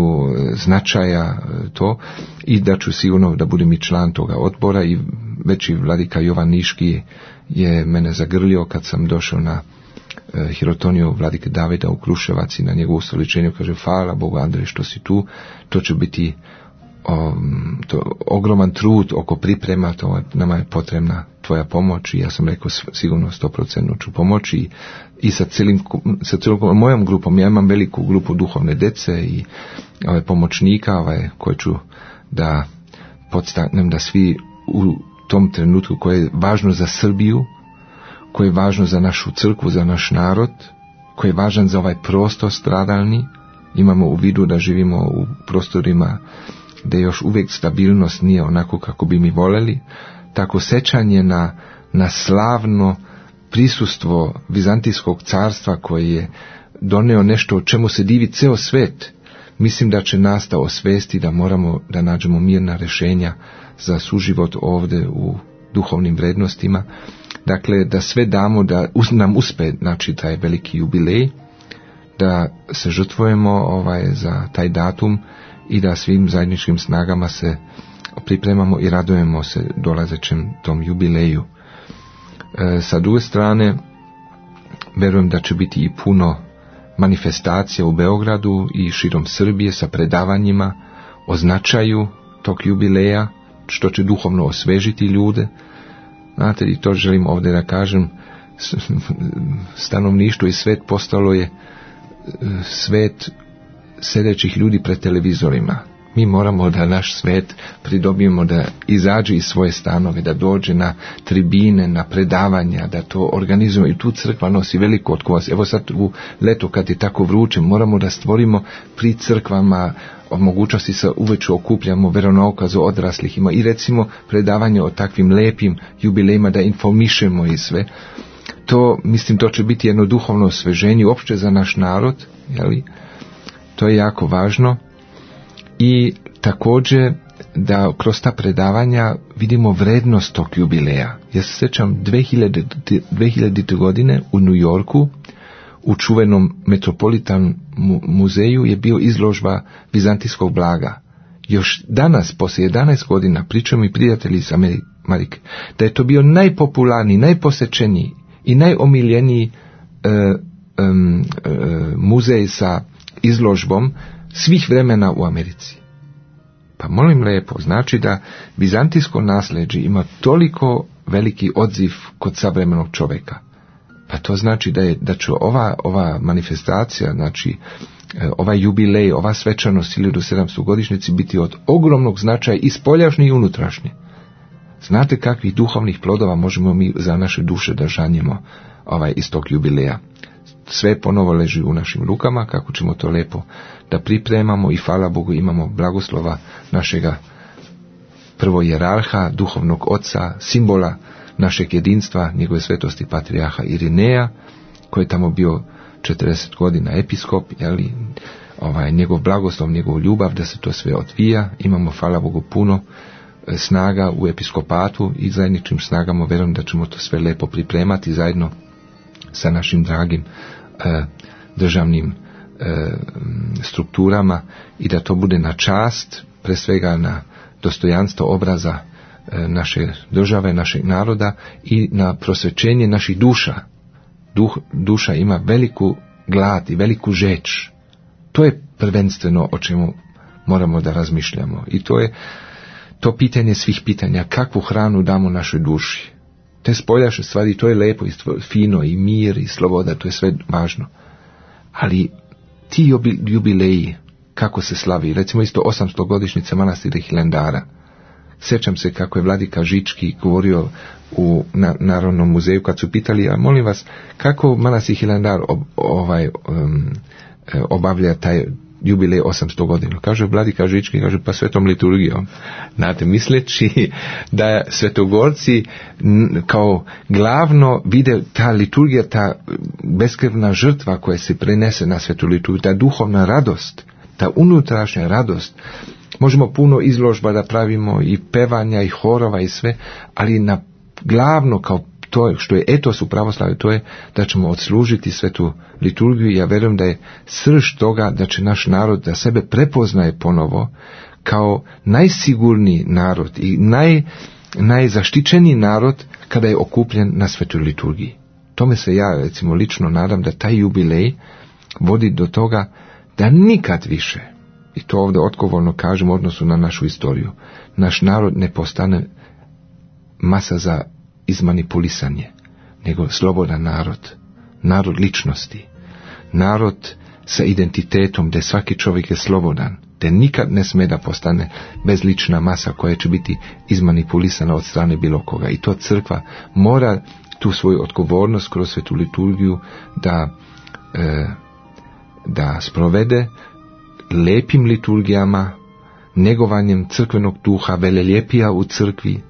značaja to, i da ću sigurno da budem i član toga odbora. I već i vladika Jovan Niški je mene zagrlio kad sam došao na hirotoniju vladike Davida u Kruševac i na njegovu ustoličenju, kaže: hvala Bogu, Andrej, što si tu, to će biti ogroman trud oko priprema, nama je potrebna tvoja pomoć. I ja sam rekao sigurno 100% ću pomoći i sa celom mojom grupom. Ja imam veliku grupu duhovne dece i pomoćnika koje ću da podstaknem da svi u tom trenutku koje je važno za Srbiju, koje je važno za našu crkvu, za naš narod, koji je važan za ovaj prostor stradalni. Imamo u vidu da živimo u prostorima gdje još uvijek stabilnost nije onako kako bi mi voljeli. Tako sećanje na slavno prisustvo Vizantijskog carstva koje je doneo nešto o čemu se divi ceo svet, mislim da će nas da osvesti da moramo da nađemo mirna rješenja za suživot ovdje u duhovnim vrednostima. Dakle, da sve damo da nam uspe, znači, taj veliki jubilej, da se žrtvujemo za taj datum i da svim zajedničkim snagama se pripremamo i radujemo se dolazećem tom jubileju. Sa druge strane, verujem da će biti i puno manifestacija u Beogradu i širom Srbije sa predavanjima o značaju tog jubileja, što će duhovno osvežiti ljude. Znate, i to želim ovdje da kažem, stanovništvo i svet postalo je svet sedećih ljudi pred televizorima. Mi moramo da naš svet pridobijemo da izađe iz svoje stanove, da dođe na tribine, na predavanja, da to organizujemo. I tu crkva nosi veliku odgovornost. Evo sad u leto kad je tako vruće, moramo da stvorimo pri crkvama mogućnosti se uveću okupljamo veronaukazu odraslih. Ima i recimo predavanje o takvim lepim jubilejima da informišemo i sve. To, mislim, to će biti jedno duhovno osveženje uopšte za naš narod, jeli? To je jako važno. I također da kroz ta predavanja vidimo vrednost tog jubileja. Ja se sjećam 2000. godine u New Yorku u čuvenom Metropolitan muzeju je bio izložba vizantijskog blaga. Još danas, poslije 11 godina, pričaju mi prijatelji iz Amerike, da je to bio najpopularniji, najposjećeniji i najomiljeniji muzej sa izložbom svih vremena u Americi. Pa molim lijepo, znači da vizantijsko nasljeđe ima toliko veliki odziv kod savremenog čovjeka. Pa to znači da će ova manifestacija, znači ovaj jubilej, ova svečanost 1700 godišnjici biti od ogromnog značaja i spoljašnje i unutrašnje. Znate kakvih duhovnih plodova možemo mi za naše duše da žanjemo iz tog jubileja. Sve ponovo leži u našim rukama, kako ćemo to lepo da pripremamo i hvala Bogu imamo blagoslova našega prvo jerarha, duhovnog oca, simbola našeg jedinstva, njegove svetosti patrijarha Irineja, koji je tamo bio 40 godina episkop, njegov blagoslov, njegov ljubav da se to sve odvija. Imamo, hvala Bogu, puno snaga u episkopatu i zajedničkim snagama vjerujem da ćemo to sve lepo pripremati zajedno sa našim dragim državnim strukturama i da to bude na čast, pre svega na dostojanstvo obraza naše države, našeg naroda i na prosvećenje naših duša. Duša ima veliku glad i veliku žeč. To je prvenstveno o čemu moramo da razmišljamo. I to je to pitanje svih pitanja, kakvu hranu damo našoj duši. Te spoljašnje stvari, to je lepo i fino i mir i sloboda, to je sve važno. Ali ti jubileji, kako se slavi, recimo isto 800 godišnjice manastira Hilandara. Sjećam se kako je vladika Žički govorio u Narodnom muzeju kad su pitali, a molim vas, kako manastir Hilandar obavlja taj jubilej 800 godina. Kaže vladika Žički, kaže pa svetom liturgijom. Znate, misleći da svetogorci kao glavno vide ta liturgija, ta beskrvna žrtva koja se prenese na svetu liturgiju, ta duhovna radost, ta unutrašnja radost. Možemo puno izložba da pravimo i pevanja i horova i sve, ali na glavno kao to što je etos u pravoslavlju, to je da ćemo odslužiti svetu liturgiju. Ja vjerujem da je srž toga da će naš narod da sebe prepoznaje ponovo kao najsigurniji narod i najzaštićeniji narod kada je okupljen na svetoj liturgiji. Tome se ja recimo lično nadam da taj jubilej vodi do toga da nikad više, i to ovdje odgovorno kažem u odnosu na našu istoriju, naš narod ne postane masa za izmanipulisanje, nego slobodan narod ličnosti, narod sa identitetom gdje svaki čovjek je slobodan, te nikad ne sme da postane bezlična masa koja će biti izmanipulisana od strane bilo koga. I to crkva mora tu svoju odgovornost kroz svetu liturgiju da sprovede lepim liturgijama, negovanjem crkvenog duha, veleljepija u crkvi,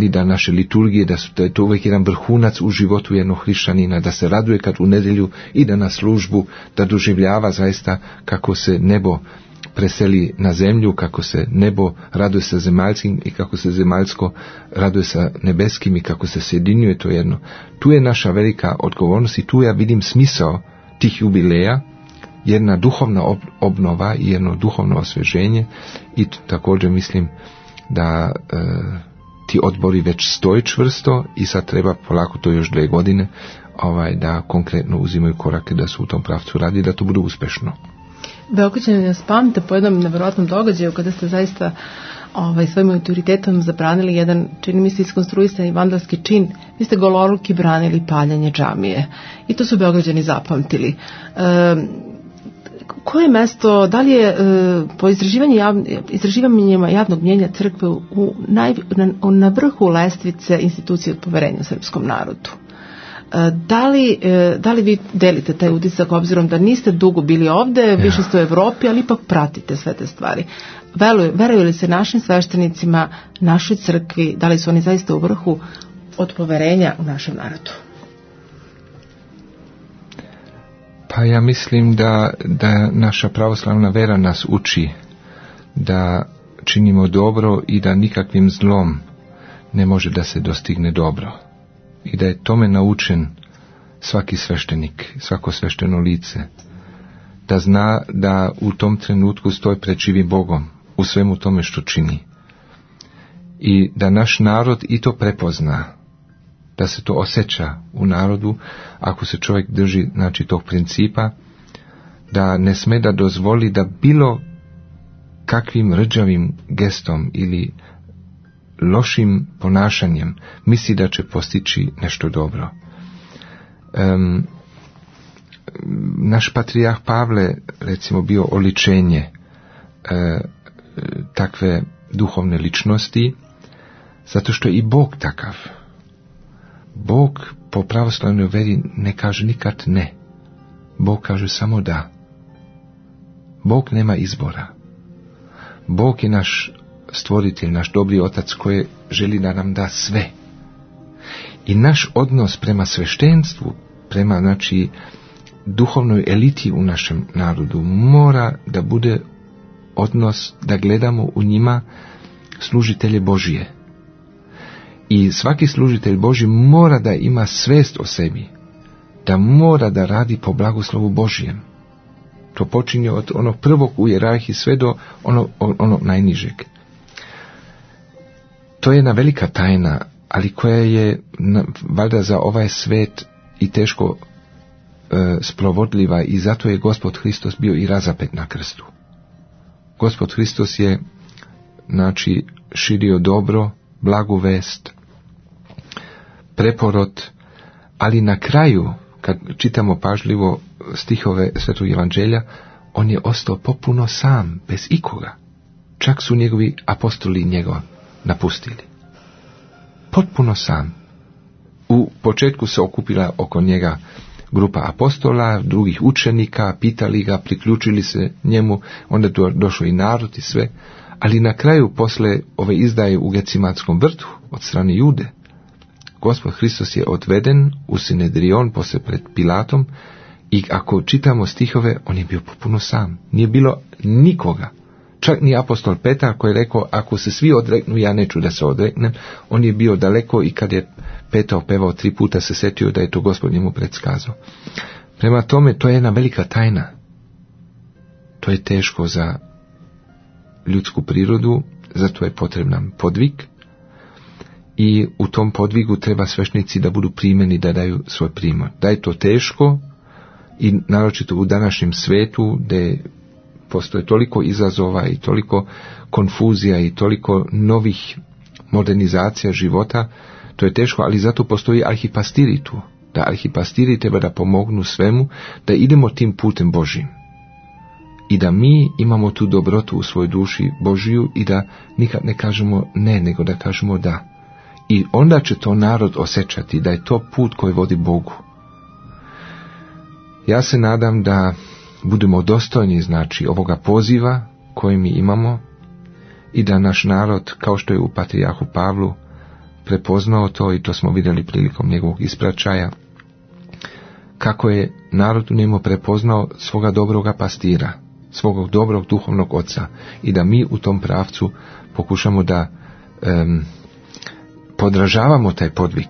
da naše liturgije, da je to uvijek jedan vrhunac u životu jednog hrišćanina, da se raduje kad u nedjelju ide na službu, da doživljava zaista kako se nebo preseli na zemlju, kako se nebo raduje sa zemaljskim i kako se zemaljsko raduje sa nebeskim i kako se sjedinjuje to jedno. Tu je naša velika odgovornost i tu ja vidim smisao tih jubileja, jedna duhovna obnova i jedno duhovno osvježenje i također mislim da ti odbori već stoji čvrsto i sad treba polako to još 2 godine da konkretno uzimaju korake da su u tom pravcu radi, da to bude uspešno. Beograđani nas pamte po jednom nevjerojatnom događaju kada ste zaista svojim autoritetom zabranili jedan, čini mi se, iskonstruisani vandalski čin. Vi ste goloruki branili paljanje džamije i to su Beograđani zapamtili. Koje mesto, da li je po istraživanjima javnog mnjenja crkve na vrhu lestvice institucije od poverenja u srpskom narodu? Da li vi delite taj utisak obzirom da niste dugo bili ovde, više ste u Evropi, ali ipak pratite sve te stvari? Veruju li se našim sveštenicima, našoj crkvi, da li su oni zaista u vrhu od poverenja u našem narodu? Pa ja mislim da naša pravoslavna vera nas uči da činimo dobro i da nikakvim zlom ne može da se dostigne dobro. I da je tome naučen svaki sveštenik, svako svešteno lice. Da zna da u tom trenutku stoji pred živim Bogom u svemu tome što čini. I da naš narod i to prepozna. Da se to osjeća u narodu, ako se čovjek drži tog principa, da ne sme da dozvoli da bilo kakvim rđavim gestom ili lošim ponašanjem misli da će postići nešto dobro. Naš patrijarh Pavle, recimo, bio oličenje takve duhovne ličnosti, zato što je i Bog takav. Bog po pravoslavnoj veri ne kaže nikad ne. Bog kaže samo da. Bog nema izbora. Bog je naš stvoritelj, naš dobri otac koji želi da nam da sve. I naš odnos prema sveštenstvu, prema, znači, duhovnoj eliti u našem narodu mora da bude odnos da gledamo u njima služitelje Božije. I svaki služitelj Božji mora da ima svest o sebi, da mora da radi po blagoslovu Božijem. To počinje od onog prvog u hijerarhiji sve do onog najnižeg. To je jedna velika tajna, ali koja je valjda za ovaj svet i teško sprovodljiva, i zato je Gospod Hristos bio i razapet na krstu. Gospod Hristos je, znači, širio dobro, blagu vest, preporod, ali na kraju, kad čitamo pažljivo stihove Svetog Evanđelja, on je ostao popuno sam, bez ikoga. Čak su njegovi apostoli njega napustili. Potpuno sam. U početku se okupila oko njega grupa apostola, drugih učenika, pitali ga, priključili se njemu, onda je došao i narod i sve, ali na kraju, posle ove izdaje u Gecimatskom vrtu od strane Jude, Gospod Hristos je odveden u Sinedrion posle pred Pilatom, i ako čitamo stihove, on je bio potpuno sam. Nije bilo nikoga. Čak ni apostol Petar koji je rekao, ako se svi odreknu, ja neću da se odreknem. On je bio daleko, i kad je Petar pevao 3 puta, se setio da je to Gospod njemu predskazao. Prema tome, to je jedna velika tajna. To je teško za ljudsku prirodu, zato je potreban podvig, i u tom podvigu treba sveštenici da budu primjeni, da daju svoj primjer. Da je to teško, i naročito u današnjem svetu, gdje postoje toliko izazova i toliko konfuzija i toliko novih modernizacija života, to je teško, ali zato postoji arhipastiri tu. Da arhipastiri treba da pomognu svemu, da idemo tim putem Božjim. I da mi imamo tu dobrotu u svojoj duši Božiju i da nikad ne kažemo ne, nego da kažemo da. I onda će to narod osjećati da je to put koji vodi Bogu. Ja se nadam da budemo dostojni, znači, ovoga poziva koji mi imamo, i da naš narod, kao što je u patrijarhu Pavlu, prepoznao to, i to smo vidjeli prilikom njegovog ispraćaja, kako je narod u njemu prepoznao svoga dobroga pastira, svog dobrog duhovnog oca, i da mi u tom pravcu pokušamo da podražavamo taj podvig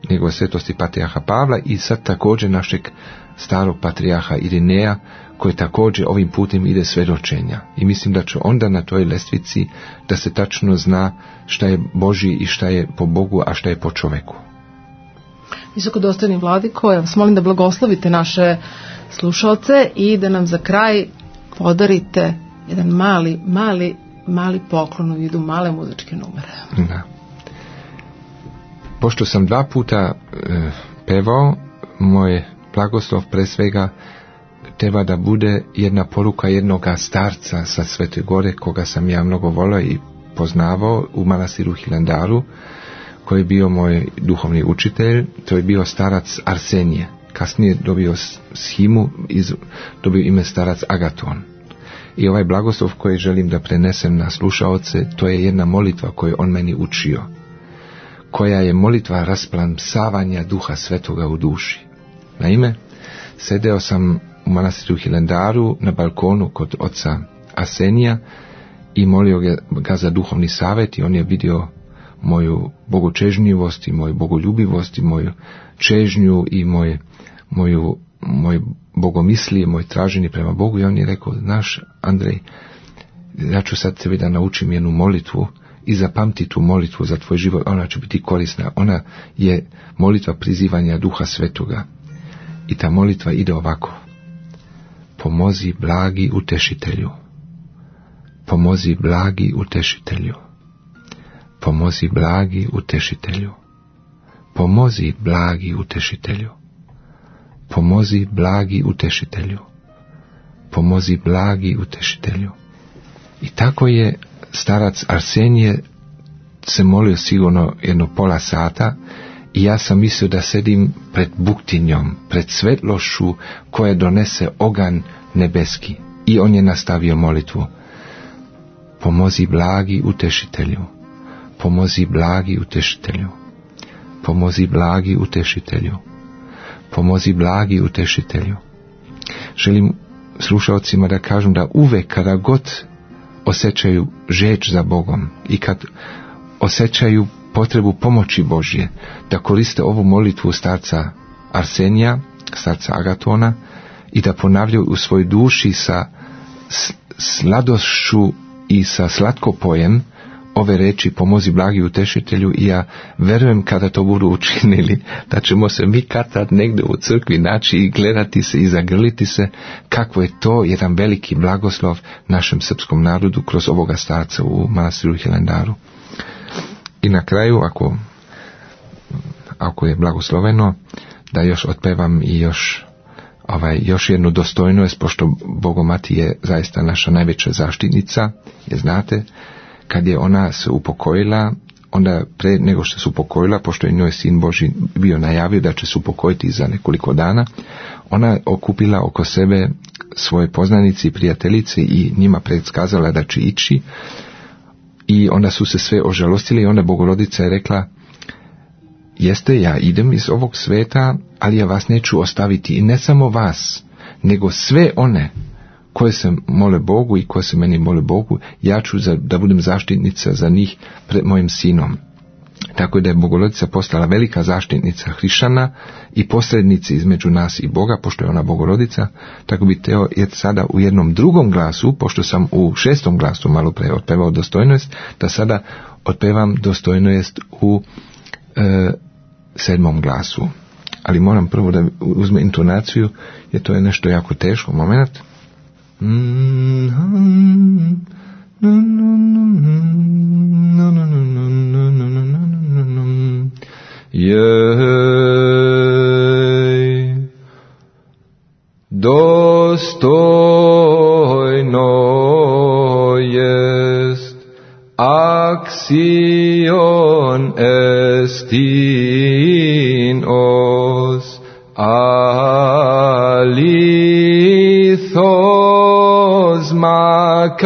njegove svetosti patrijarha Pavla, i sad također našeg starog patrijarha Irineja, koji također ovim putem ide svjedočenja. I mislim da će onda na toj lestvici da se tačno zna šta je Božji i šta je po Bogu, a šta je po čoveku. Visokodostojni vladiko, ja vas molim da blagoslovite naše slušalce i da nam za kraj podarite jedan mali poklon u vidu male muzičke numere. Da. Pošto sam 2 puta pevao, moj blagoslov pre svega treba da bude jedna poruka jednoga starca sa Svete Gore, koga sam ja mnogo volio i poznavao u manastiru Hilandaru, koji je bio moj duhovni učitelj. To je bio starac Arsenije. Kasnije dobio shimu, dobio ime starac Agaton. I ovaj blagoslov koji želim da prenesem na slušaoce, to je jedna molitva koju on meni učio, koja je molitva rasplamsavanja Duha Svetoga u duši. Naime, sedeo sam u manastiru Hilandaru na balkonu kod oca Arsenija i molio ga za duhovni savjet, i on je vidio moju bogočežnjivost i moju bogoljubivost i moju čežnju i moj bogomislije, moj traženje prema Bogu, i on je rekao, znaš, Andrej, ja ću sad tebi da naučim jednu molitvu i zapamti tu molitvu za tvoj život, ona će biti korisna. Ona je molitva prizivanja Duha Svetoga. I ta molitva ide ovako: pomozi blagi utešitelju, pomozi blagi utešitelju, pomozi blagi utešitelju, pomozi blagi utešitelju, pomozi blagi utešitelju, pomozi blagi utešitelju. I tako je starac Arsenije se molio sigurno jedno pola sata i ja sam mislio da sedim pred buktinjom, pred svetlošću koja donese oganj nebeski. I on je nastavio molitvu. Pomozi blagi utešitelju, pomozi blagi utešitelju, pomozi blagi utešitelju, pomozi blagi utešitelju. Želim slušalcima da kažem da uvek kada god osjećaju žeđ za Bogom i kad osjećaju potrebu pomoći Božje, da koriste ovu molitvu starca Arsenija, starca Agatona, i da ponavljaju u svojoj duši sa sladošću i sa slatkopojem ove reči pomozi blagi utešitelju. I ja verujem kada to budu učinili da ćemo se mi kad negdje u crkvi naći i gledati se i zagrliti se kako je to jedan veliki blagoslov našem srpskom narodu kroz ovoga starca u manastiru Hilandaru. I na kraju, ako je blagosloveno, da još otpevam i još jednu dostojnost, pošto Bogomati je zaista naša najveća zaštitnica, je znate, kad je ona se upokojila, onda pre nego što se upokojila, pošto je njoj sin Božji bio najavio da će se upokojiti za nekoliko dana, ona okupila oko sebe svoje poznanice i prijateljice i njima predskazala da će ići, i onda su se sve ožalostili i onda Bogorodica je rekla: jeste, ja idem iz ovog sveta, ali ja vas neću ostaviti, i ne samo vas, nego sve one koje se mole Bogu i koje se meni mole Bogu, ja ću da budem zaštitnica za njih pred mojim sinom. Tako da je Bogorodica postala velika zaštitnica hrišćana i posrednici između nas i Boga, pošto je ona Bogorodica. Tako bi teo je sada u jednom drugom glasu, pošto sam u 6. glasu malo pre otpevao dostojnost, da sada otpevam dostojnost u 7. glasu. Ali moram prvo da uzme intonaciju, jer to je nešto jako teško. Moment. Jej, dostojno jest acción estin os alithos macarizin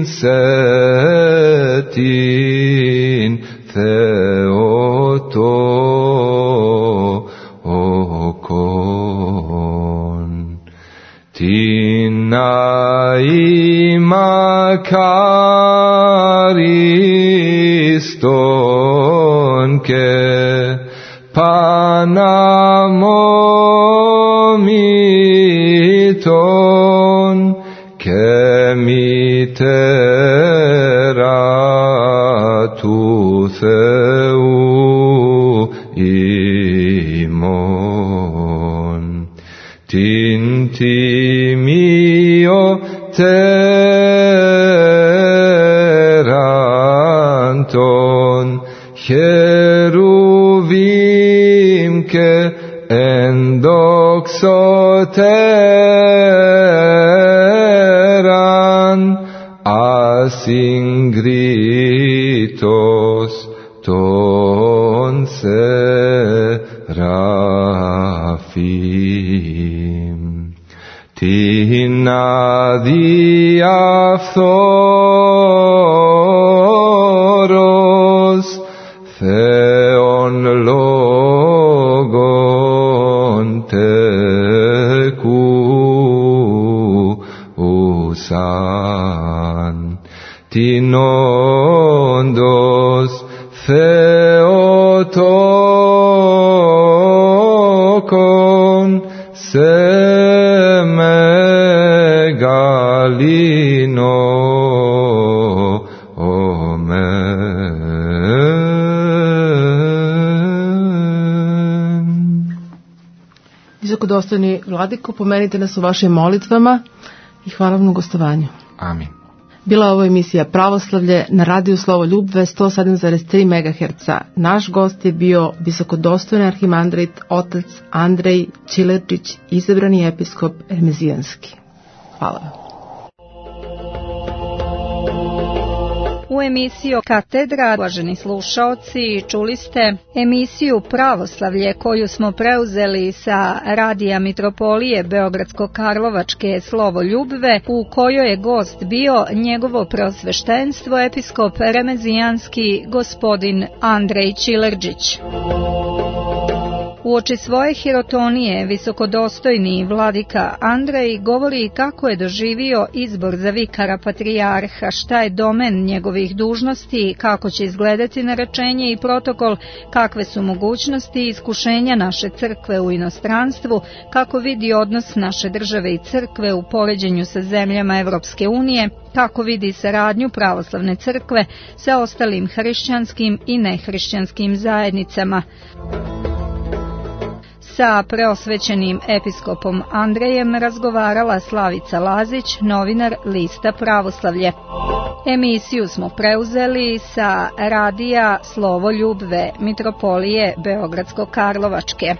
setin theotokon tinai macariston ke panamomiton ke miteratu theu imon tintimio teranton cheruvim ke endoxoteran asingritos ton serafim tina diaphoros theon logon teku usan tinondos theotokon semegalino Visokodostojni vladiko, pomenite nas u vašim molitvama i hvala vam na gostovanju. Amin. Bila ovo emisija Pravoslavlje na radiju Slovoljubve 107,3 MHz. Naš gost je bio visokodostojni arhimandrit otac Andrej Čilerčić, izabrani episkop Remezijanski. Hvala vam. U emisiju Katedra, uvaženi slušaoci, čuli ste emisiju Pravoslavlje koju smo preuzeli sa radija Mitropolije Beogradsko-Karlovačke Slovoljubve, u kojoj je gost bio njegovo preosveštenstvo episkop Remezijanski gospodin Andrej Čilerčić. Uoči svoje hirotonije visokodostojni vladika Andrej govori kako je doživio izbor za vikara patrijarha, šta je domen njegovih dužnosti, kako će izgledati narečenje i protokol, kakve su mogućnosti i iskušenja naše crkve u inostranstvu, kako vidi odnos naše države i crkve u poređenju sa zemljama Evropske unije, kako vidi saradnju pravoslavne crkve sa ostalim hrišćanskim i nehrišćanskim zajednicama. Sa preosvećenim episkopom Andrejem razgovarala Slavica Lazić, novinar lista Pravoslavlje. Emisiju smo preuzeli sa radija Slovoljubve Mitropolije Beogradsko-Karlovačke.